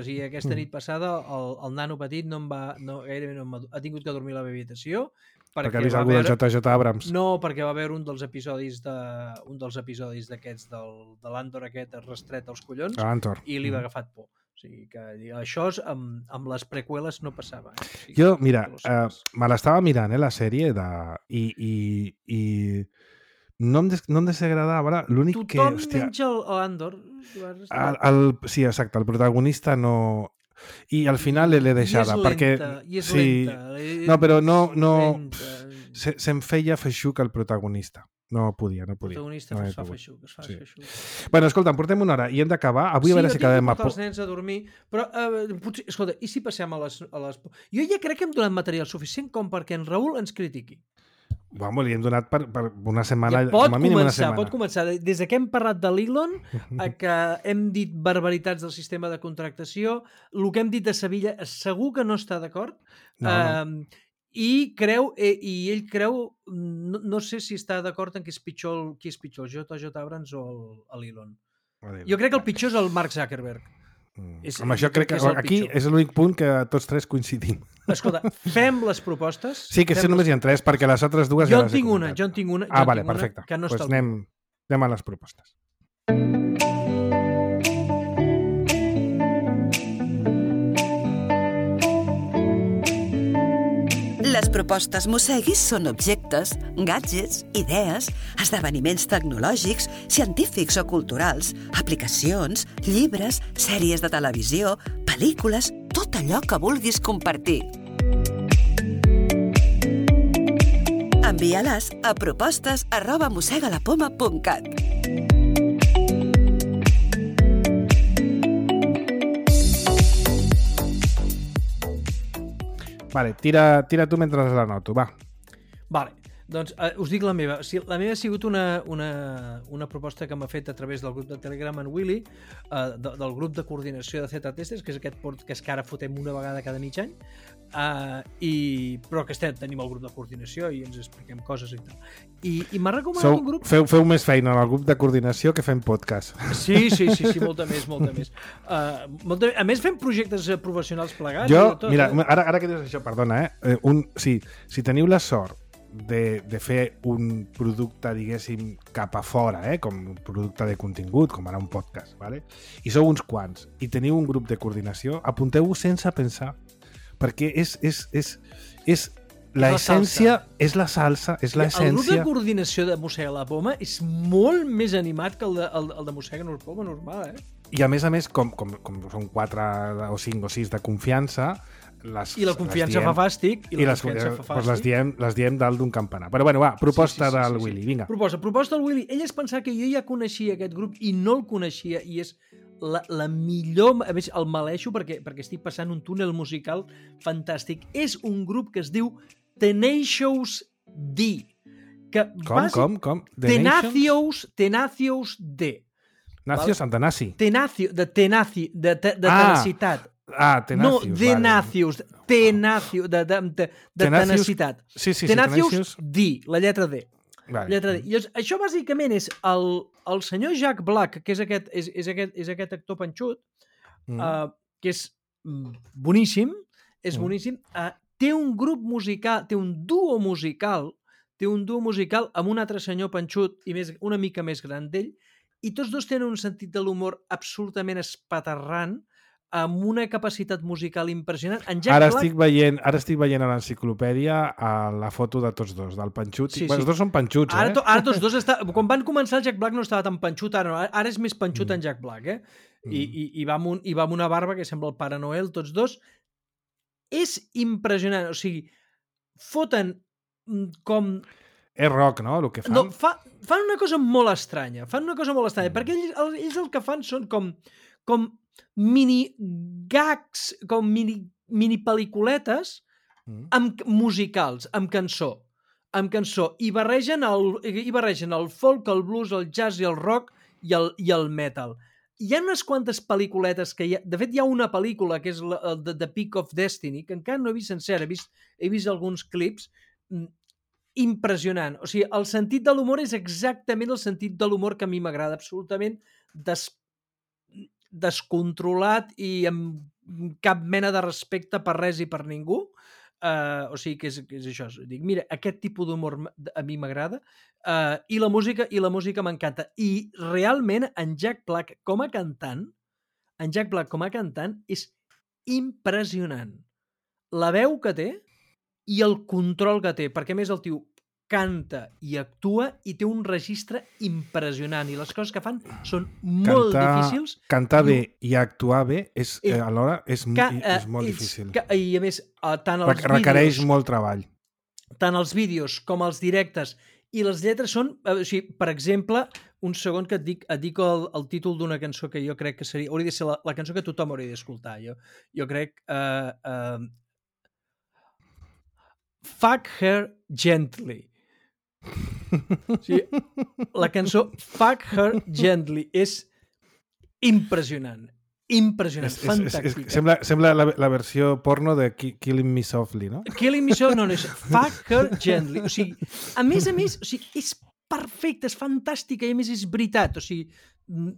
sigui, aquesta nit passada el nano petit gairebé no ha tingut que dormir a la meva habitació perquè ha vist algú del JJ Abrams. No, perquè va haver un dels episodis d'aquests de l'Andor aquest restret als collons i li va agafat por. O sigui que això amb les preqüeles no passava. Jo, mira, me l'estava mirant, la sèrie i no em desagradava. L'únic que... Tothom menys l'Andor. Sí, exacte, el protagonista no... I al final l'he deixada. I és lenta. No, però no... Se'm feia feixuc el protagonista. No podia. El protagonista es fa feixuc. Bueno, escolta, portem una hora i hem d'acabar. Avui a veure si acabem a poc. Sí, jo tinc que portar els nens a dormir, però potser, escolta, i si passem a les... Jo ja crec que hem donat material suficient com perquè en Raül ens critiqui. Bueno, li hem donat per una setmana, com a mínim una setmana. Pot començar. Des que hem parlat de l'Elon, que hem dit barbaritats del sistema de contractació, el que hem dit de Sevilla, segur que no està d'acord. No. I ell creu, no sé si està d'acord en qui és pitjor, el JJ Abrams o l'Elon. Jo crec que el pitjor és el Mark Zuckerberg. Amb això crec que aquí és l'únic punt que tots tres coincidim. Escolta, fem les propostes. Sí, que només hi ha 3, perquè les altres dues jo ja les he comentat. Jo en tinc una. Vale, perfecte. Que no pues està anem a les propostes. Les propostes Mosseguis són objectes, gadgets, idees, esdeveniments tecnològics, científics o culturals, aplicacions, llibres, sèries de televisió, pel·lícules, tot allò que vulguis compartir. Envia-les a propostes@mossegalapoma.cat. Vale, tira tu mentre la noto, va. Vale, doncs us dic la meva. La meva ha sigut una proposta que m'ha fet a través del grup de Telegram en Willy, del grup de coordinació de Z-Testers, que és aquest podcast que ara fotem una vegada cada mig any, però que tenim el grup de coordinació i ens expliquem coses i tal. I m'ha recomanat un grup... Feu més feina en el grup de coordinació que fem podcast. Sí, molta més. A més, fem projectes professionals plegats. Mira, ara que dius això, perdona, si teniu la sort de fer un producte, diguéssim, cap a fora, com un producte de contingut, com ara un podcast, ¿vale? I sou uns quants, i teniu un grup de coordinació, apunteu-vos sense pensar, perquè és l'essència, és la salsa, és l'essència... El grup de coordinació de Mossega la Poma és molt més animat que el de Mossega la Poma normal, I a més, com són 4 o 5 o 6 de confiança, i la confiança fa fàstic, les diem dalt d'un campanar. Però bueno, va, proposta del Willy, vinga. Proposta del Willy. Ell es pensava que jo ja coneixia aquest grup i no el coneixia, i és la millor... A més, el maleixo perquè estic passant un túnel musical fantàstic. És un grup que es diu Tenacious D. Com? Tenacious D. Nacio Santanaci. De tenacitat. Tenacious. No, Tenacious. De tenacitat. Sí, Tenacious D, la lletra D. Vale. Lletra D. I això bàsicament és el senyor Jack Black, que és aquest actor panxut, que és boníssim, boníssim. Té un grup musical, té un duo musical amb un altre senyor panxut i una mica més gran d'ell, i tots dos tenen un sentit de l'humor absolutament espaterrant, amb una capacitat musical impressionant. Ara estic veient a l'enciclopèdia la foto de tots dos, del panxut. Sí. Els dos són panxuts, Ara tots dos quan van començar el Jack Black no estava tan panxut, ara és més panxut en Jack Black, I va amb una barba que sembla el Pare Noel, tots dos. És impressionant, o sigui, foten com... És rock, no?, el que fan. No, fan una cosa molt estranya, perquè ells el que fan són com mini gags, com mini pel·lículetes musicals, amb cançó, i barregen el folk, el blues, el jazz i el rock i el metal. Hi ha unes quantes pel·lículetes que de fet hi ha una pel·lícula que és The Peak of Destiny, que encara no he vist sencera, he vist alguns clips, impressionant. O sigui, el sentit de l'humor és exactament el sentit de l'humor que a mi m'agrada, absolutament descontrolat i amb cap mena de respecte per res i per ningú. O sigui, que és això. Dic, mira, aquest tipus d'humor a mi m'agrada, i la música m'encanta. I realment en Jack Black com a cantant és impressionant. La veu que té i el control que té, perquè a més el tio canta i actua i té un registre impressionant, i les coses que fan són molt difícils. Cantar bé i actuar bé alhora és molt difícil. I a més, tant els vídeos... Requereix molt treball. Tant els vídeos com els directes, i les lletres són... O sigui, per exemple, un segon que et dic el títol d'una cançó que jo crec que hauria de ser la cançó que tothom hauria d'escoltar. Jo crec... Fuck Her Gently. O sigui, la cançó Fuck Her Gently és impressionant, fantàstica. Sembla la versió porno de Killing Me Softly, no? Killing Me Softly, no és Fuck Her Gently. O sigui, a més, o sigui, és perfecta, és fantàstica i a més és veritat, o sigui,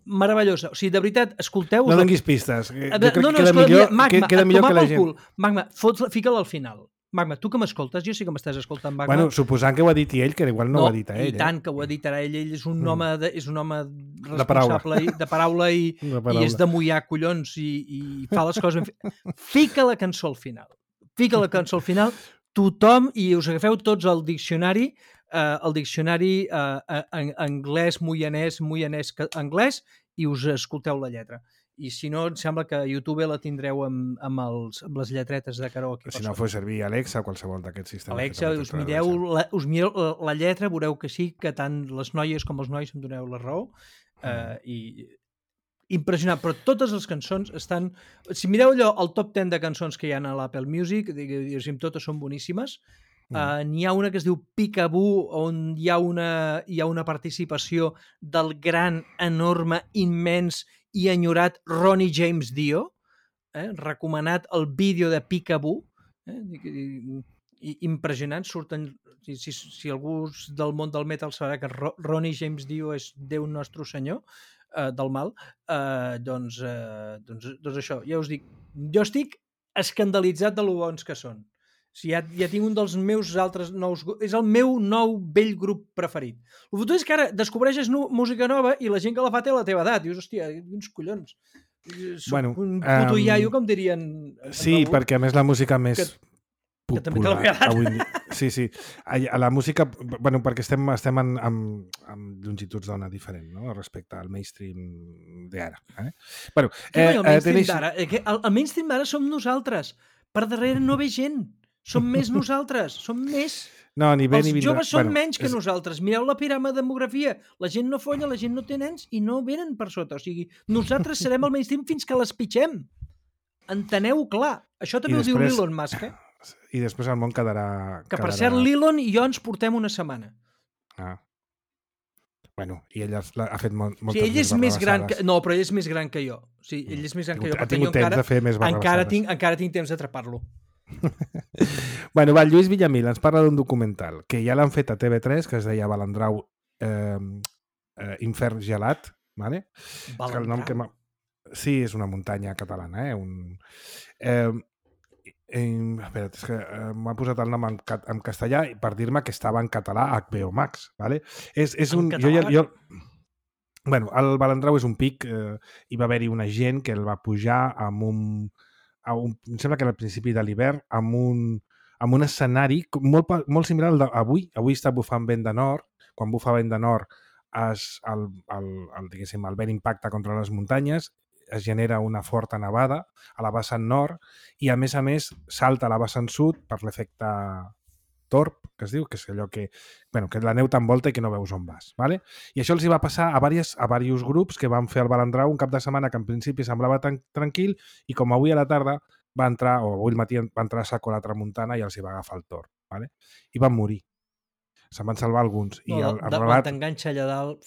meravellosa. O sigui, de veritat, escolteu... No donis pistes. Jo crec que queda millor que la gent... Magma, fica-la al final. Magma, tu que m'escoltes, jo sí que m'estàs escoltant, Magma. Bueno, suposant que ho ha dit ell, que igual no ho ha dit a ell. I tant que ho ha dit ara ell. Ell és un home responsable de paraula i és de mullar collons i fa les coses... Fica la cançó al final. Fica la cançó al final. Tothom, i us agafeu tots el diccionari anglès, moianès, anglès, i us escolteu la lletra. I si no, em sembla que a YouTube la tindreu amb les lletretes de karaoke. Si no fos servir Alexa o qualsevol d'aquests sistemes. Alexa, us mireu la lletra, veureu que sí, que tant les noies com els nois em doneu la raó. I impressionant, però totes les cançons estan... Si mireu allò, el top 10 de cançons que hi ha a l'Apple Music, totes són boníssimes. N'hi ha una que es diu Peekaboo, on hi ha una participació del gran, enorme, immens i enyorat Ronnie James Dio, recomanat el vídeo de Peekaboo, impressionant, surten... Si algú del món del metal sabrà que Ronnie James Dio és Déu nostre senyor del mal, doncs això, ja us dic, jo estic escandalitzat de lo bons que són. Ja tinc un dels meus altres nous... És el meu nou vell grup preferit. El fotut és que ara descobreixes música nova i la gent que la fa té la teva edat. Dius, hòstia, uns collons. Soc un puto iaio, com dirien... Sí, perquè a més la música més popular... Avui... Sí. A la música... Bueno, perquè estem amb longituds d'ona diferent, no?, respecte al mainstream d'ara. Bueno, el mainstream d'ara som nosaltres. Per darrere no ve gent. Som més nosaltres, som més. No, ni bé ni vindrà. Els joves són menys que nosaltres. Mireu la piràmide de demografia. La gent no folla, la gent no té nens i no venen per sota. O sigui, nosaltres serem el mainstream fins que les pitxem. Enteneu clar. Això també ho diu l'Elon Musk, I després el món quedarà... Que per cert, l'Elon i jo ens portem una setmana. Bueno, i ell ha fet moltes ell és més gran que... No, però ell és més gran que jo. Sí, ell és més gran que jo. Ha tingut temps de fer més barrabassades. Encara tinc temps d'atrapar-lo. Bueno, Lluís Villamil ens parla d'un documental que ja l'han fet a TV3, que es deia Balandrau Infern gelat, ¿vale? Balandrau? Sí, és una muntanya catalana, espera't, és que m'ha posat el nom en castellà per dir-me que estava en català a HBO Max, ¿vale? Bueno, el Balandrau és un pic, hi va haver-hi una gent que el va pujar amb em sembla que era al principi de l'hivern, amb un escenari molt similar al d'avui. Avui està bufant vent de nord. Quan bufa vent de nord, el vent impacta contra les muntanyes, es genera una forta nevada a la vessant nord i, a més, salta a la vessant sud per l'efecte torb, que es diu, que és allò que la neu t'envolta i que no veus on vas. ¿Vale? I això els hi va passar a diversos grups que van fer el Balandrau un cap de setmana que en principi semblava tan tranquil i com avui a la tarda va entrar, o avui al matí va entrar a saco a la tramuntana i els hi va agafar el torb. ¿Vale? I van morir. Se'n van salvar alguns. Quan t'enganxa allà dalt...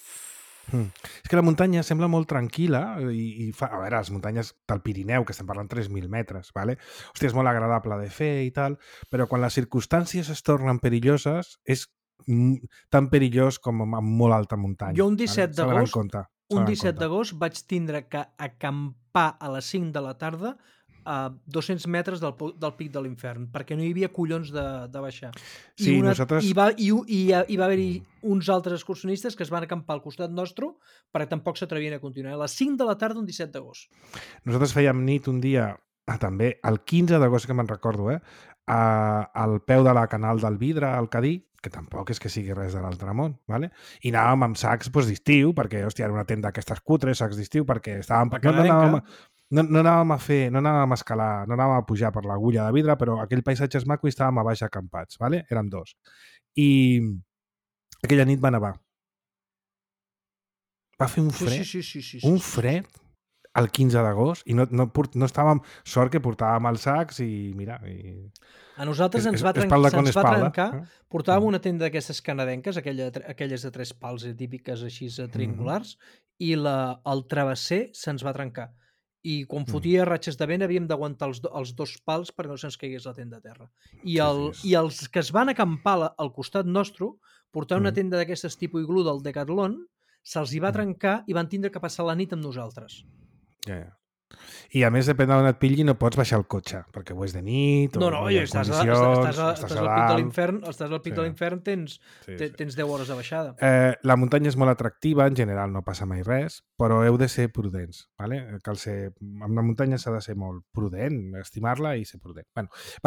És que la muntanya sembla molt tranquil·la i fa... A veure, les muntanyes del Pirineu, que estem parlant 3.000 metres, ¿vale? Hòstia, és molt agradable de fer i tal, però quan les circumstàncies es tornen perilloses és tan perillós com en molt alta muntanya. Jo un 17 d'agost vaig tindre que acampar a les 5 de la tarda a 200 metres del pic de l'infern, perquè no hi havia collons de baixar. Sí, hi va haver-hi uns altres excursionistes que es van acampar al costat nostre perquè tampoc s'atrevien a continuar. A les 5 de la tarda un 17 d'agost. Nosaltres fèiem nit un dia, també, el 15 d'agost, que me'n recordo, al peu de la Canal del Vidre, al Cadí, que tampoc és que sigui res de l'altre món, ¿vale? I anàvem amb sacs d'estiu, perquè, hòstia, era una tenda d'aquestes cutres, sacs d'estiu, perquè estàvem... No anàvem a escalar, no anàvem a pujar per l'agulla de vidre, però aquell paisatge és maco i estàvem a baix acampats, ¿vale? Érem dos. I aquella nit va nevar. Va fer un fred, un fred el 15 d'agost i no estàvem... Sort que portàvem els sacs i mira... A nosaltres ens va trencar, portàvem una tenda d'aquestes canadenques, aquelles de 3 pals típiques així triangulars, i el travesser se'ns va trencar. i quan fotia ratxes de vent havíem d'aguantar els dos pals perquè no se'ns caigués la tenda a terra. I els que es van acampar al costat nostre, portar una tenda d'aquestes tipus iglú del Decathlon, se'ls hi va trencar i van tindre que passar la nit amb nosaltres. I a més, depèn d'on et pilli, no pots baixar el cotxe, perquè ho és de nit, no, estàs al pic de l'infern, tens 10 hores de baixada. La muntanya és molt atractiva, en general no passa mai res, però heu de ser prudents. ¿vale? Amb la muntanya s'ha de ser molt prudent, estimar-la i ser prudent.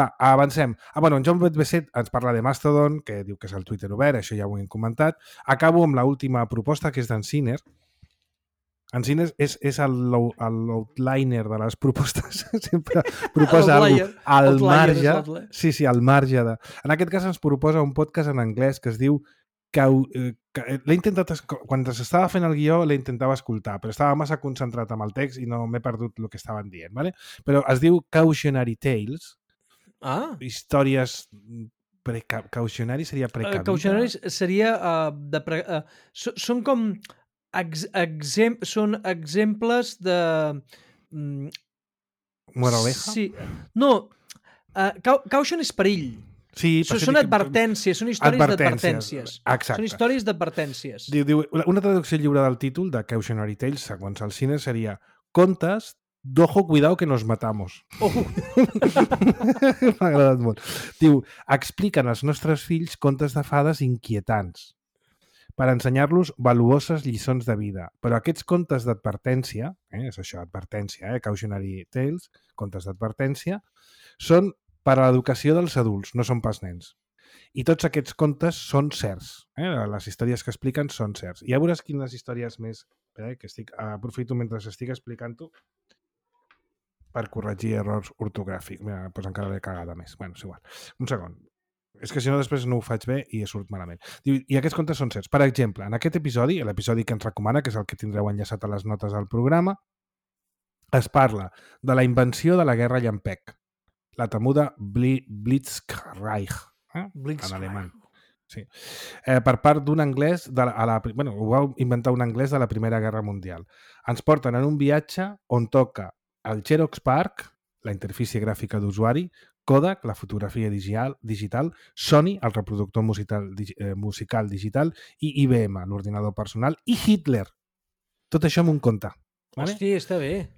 Va, avancem. En John Betbesset ens parla de Mastodon, que diu que és el Twitter obert, això ja ho hem comentat. Acabo amb l'última proposta, que és d'en Sinner. En Sinner és l'outliner de les propostes. Sempre proposa alguna cosa al marge. Sí, al marge de... En aquest cas ens proposa un podcast en anglès que es diu... l'he intentat... Quan s'estava fent el guió l'he intentava escoltar, però estava massa concentrat amb el text i no m'he perdut el que estaven dient. ¿vale? Però es diu Cautionary Tales. Històries... Cautionary seria precavida. Cautionary seria... són com... són exemples de... Moraleja? Sí. No, caution és perill. Sí, són advertències, són històries d'advertències. Exacte. Són històries d'advertències. Diu, una traducció lliure del títol de Cautionary Tales, segons el cine, seria contes d'ojo, cuidado que nos matamos. M'ha agradat molt. Diu, expliquen als nostres fills contes de fades inquietants per ensenyar-los valuoses lliçons de vida. Però aquests contes d'advertència, és això, advertència, Cautionary Tales, contes d'advertència, són per a l'educació dels adults, no són pas nens. I tots aquests contes són certs. Les històries que expliquen són certs. I ja veuràs quines històries més... Aprofito mentre estic explicant-ho per corregir errors ortogràfics. Mira, doncs encara l'he cagada més. Bueno, és igual. Un segon. És que si no després no ho faig bé i surt malament. I aquests contes són certs. Per exemple, en aquest episodi, l'episodi que ens recomana, que és el que tindreu enllaçat a les notes del programa, es parla de la invenció de la guerra llampec, la temuda Blitzkrieg, en alemany. Sí. Per part d'un anglès, ho va inventar un anglès de la Primera Guerra Mundial. Ens porten en un viatge on toca el Xerox PARC, la interfície gràfica d'usuari, Kodak, la fotografia digital, Sony, el reproductor musical digital, i IBM, l'ordinador personal, i Hitler. Tot això amb un conte. Vale? Hòstia, està bé.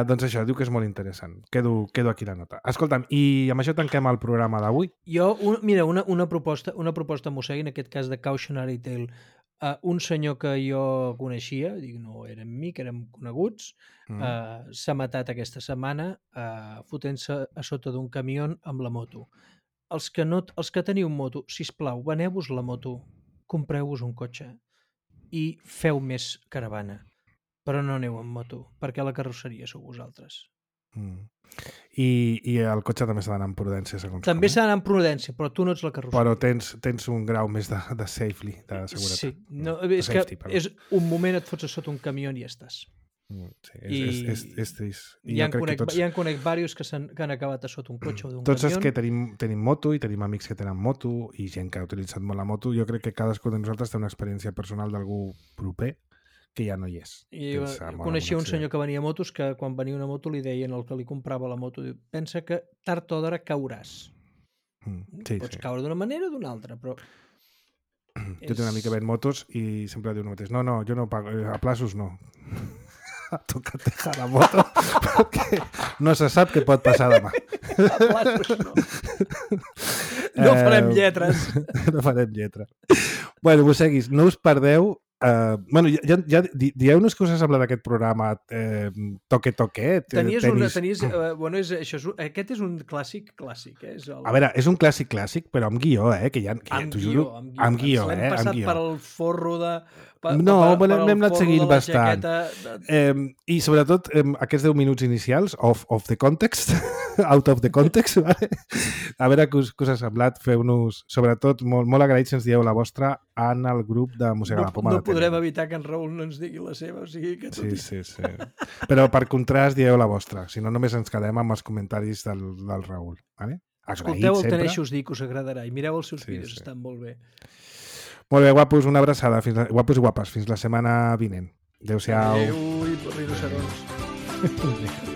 Doncs això, diu que és molt interessant. Quedo aquí la nota. Escolta'm, i amb això tanquem el programa d'avui. Mira, una proposta mossegui, en aquest cas de Cautionary Tale. Un senyor que jo coneixia, no érem amics, érem coneguts, s'ha matat aquesta setmana fotent-se a sota d'un camió amb la moto. Els que teniu moto, sisplau, veneu-vos la moto, compreu-vos un cotxe i feu més caravana. Però no aneu amb moto, perquè la carrosseria sou vosaltres. I el cotxe també s'ha d'anar amb prudència, segons també s'ha d'anar amb prudència, però tu no ets la carrosseria. Però tens un grau més de safely, de seguretat. Sí, és safety, que és un moment et fots a sota un camió i ja estàs. Sí, és trist. Ja en conec diversos que han acabat a sota un cotxe o d'un camió. Tots els que tenim moto i tenim amics que tenen moto i gent que ha utilitzat molt la moto, jo crec que cadascú de nosaltres té una experiència personal d'algú proper que ja no hi és. I coneixia un senyor que venia motos que quan venia una moto li deien el que li comprava la moto, pensa que tard o d'hora cauràs. Pots caure d'una manera o d'una altra, però... Jo tinc una amic que ven motos i sempre diu el mateix. No, jo no pago, a plaços no. Toca dejar la moto perquè no se sap què pot passar demà. A plaços no. No farem lletres. No farem lletra. Bueno, mossèguis, no us perdeu. Ja dieu-nos que us ha semblat aquest programa toque-toquet. Aquest és un clàssic. A veure, és un clàssic, però amb guió, que t'ho juro, amb guió. L'hem passat per el forro de... N'hem anat seguint bastant. I sobretot aquests 10 minuts inicials, of the context, out of the context, vale? A veure què us ha semblat. Feu-nos, sobretot, molt agraïts si ens dieu la vostra en el grup de Mossega la Poma. No podrem evitar que en Raül no ens digui la seva, o sigui que tot... Sí. Però per contrast dieu la vostra, si no només ens quedem amb els comentaris del Raül. Vale? Escolteu el Teneixos dir que us agradarà i mireu els seus vídeos, estan molt bé. Molt bé, guapos, una abraçada. Guapos i guapes, fins la setmana vinent. Adéu-siau. Adéu i rinocerons.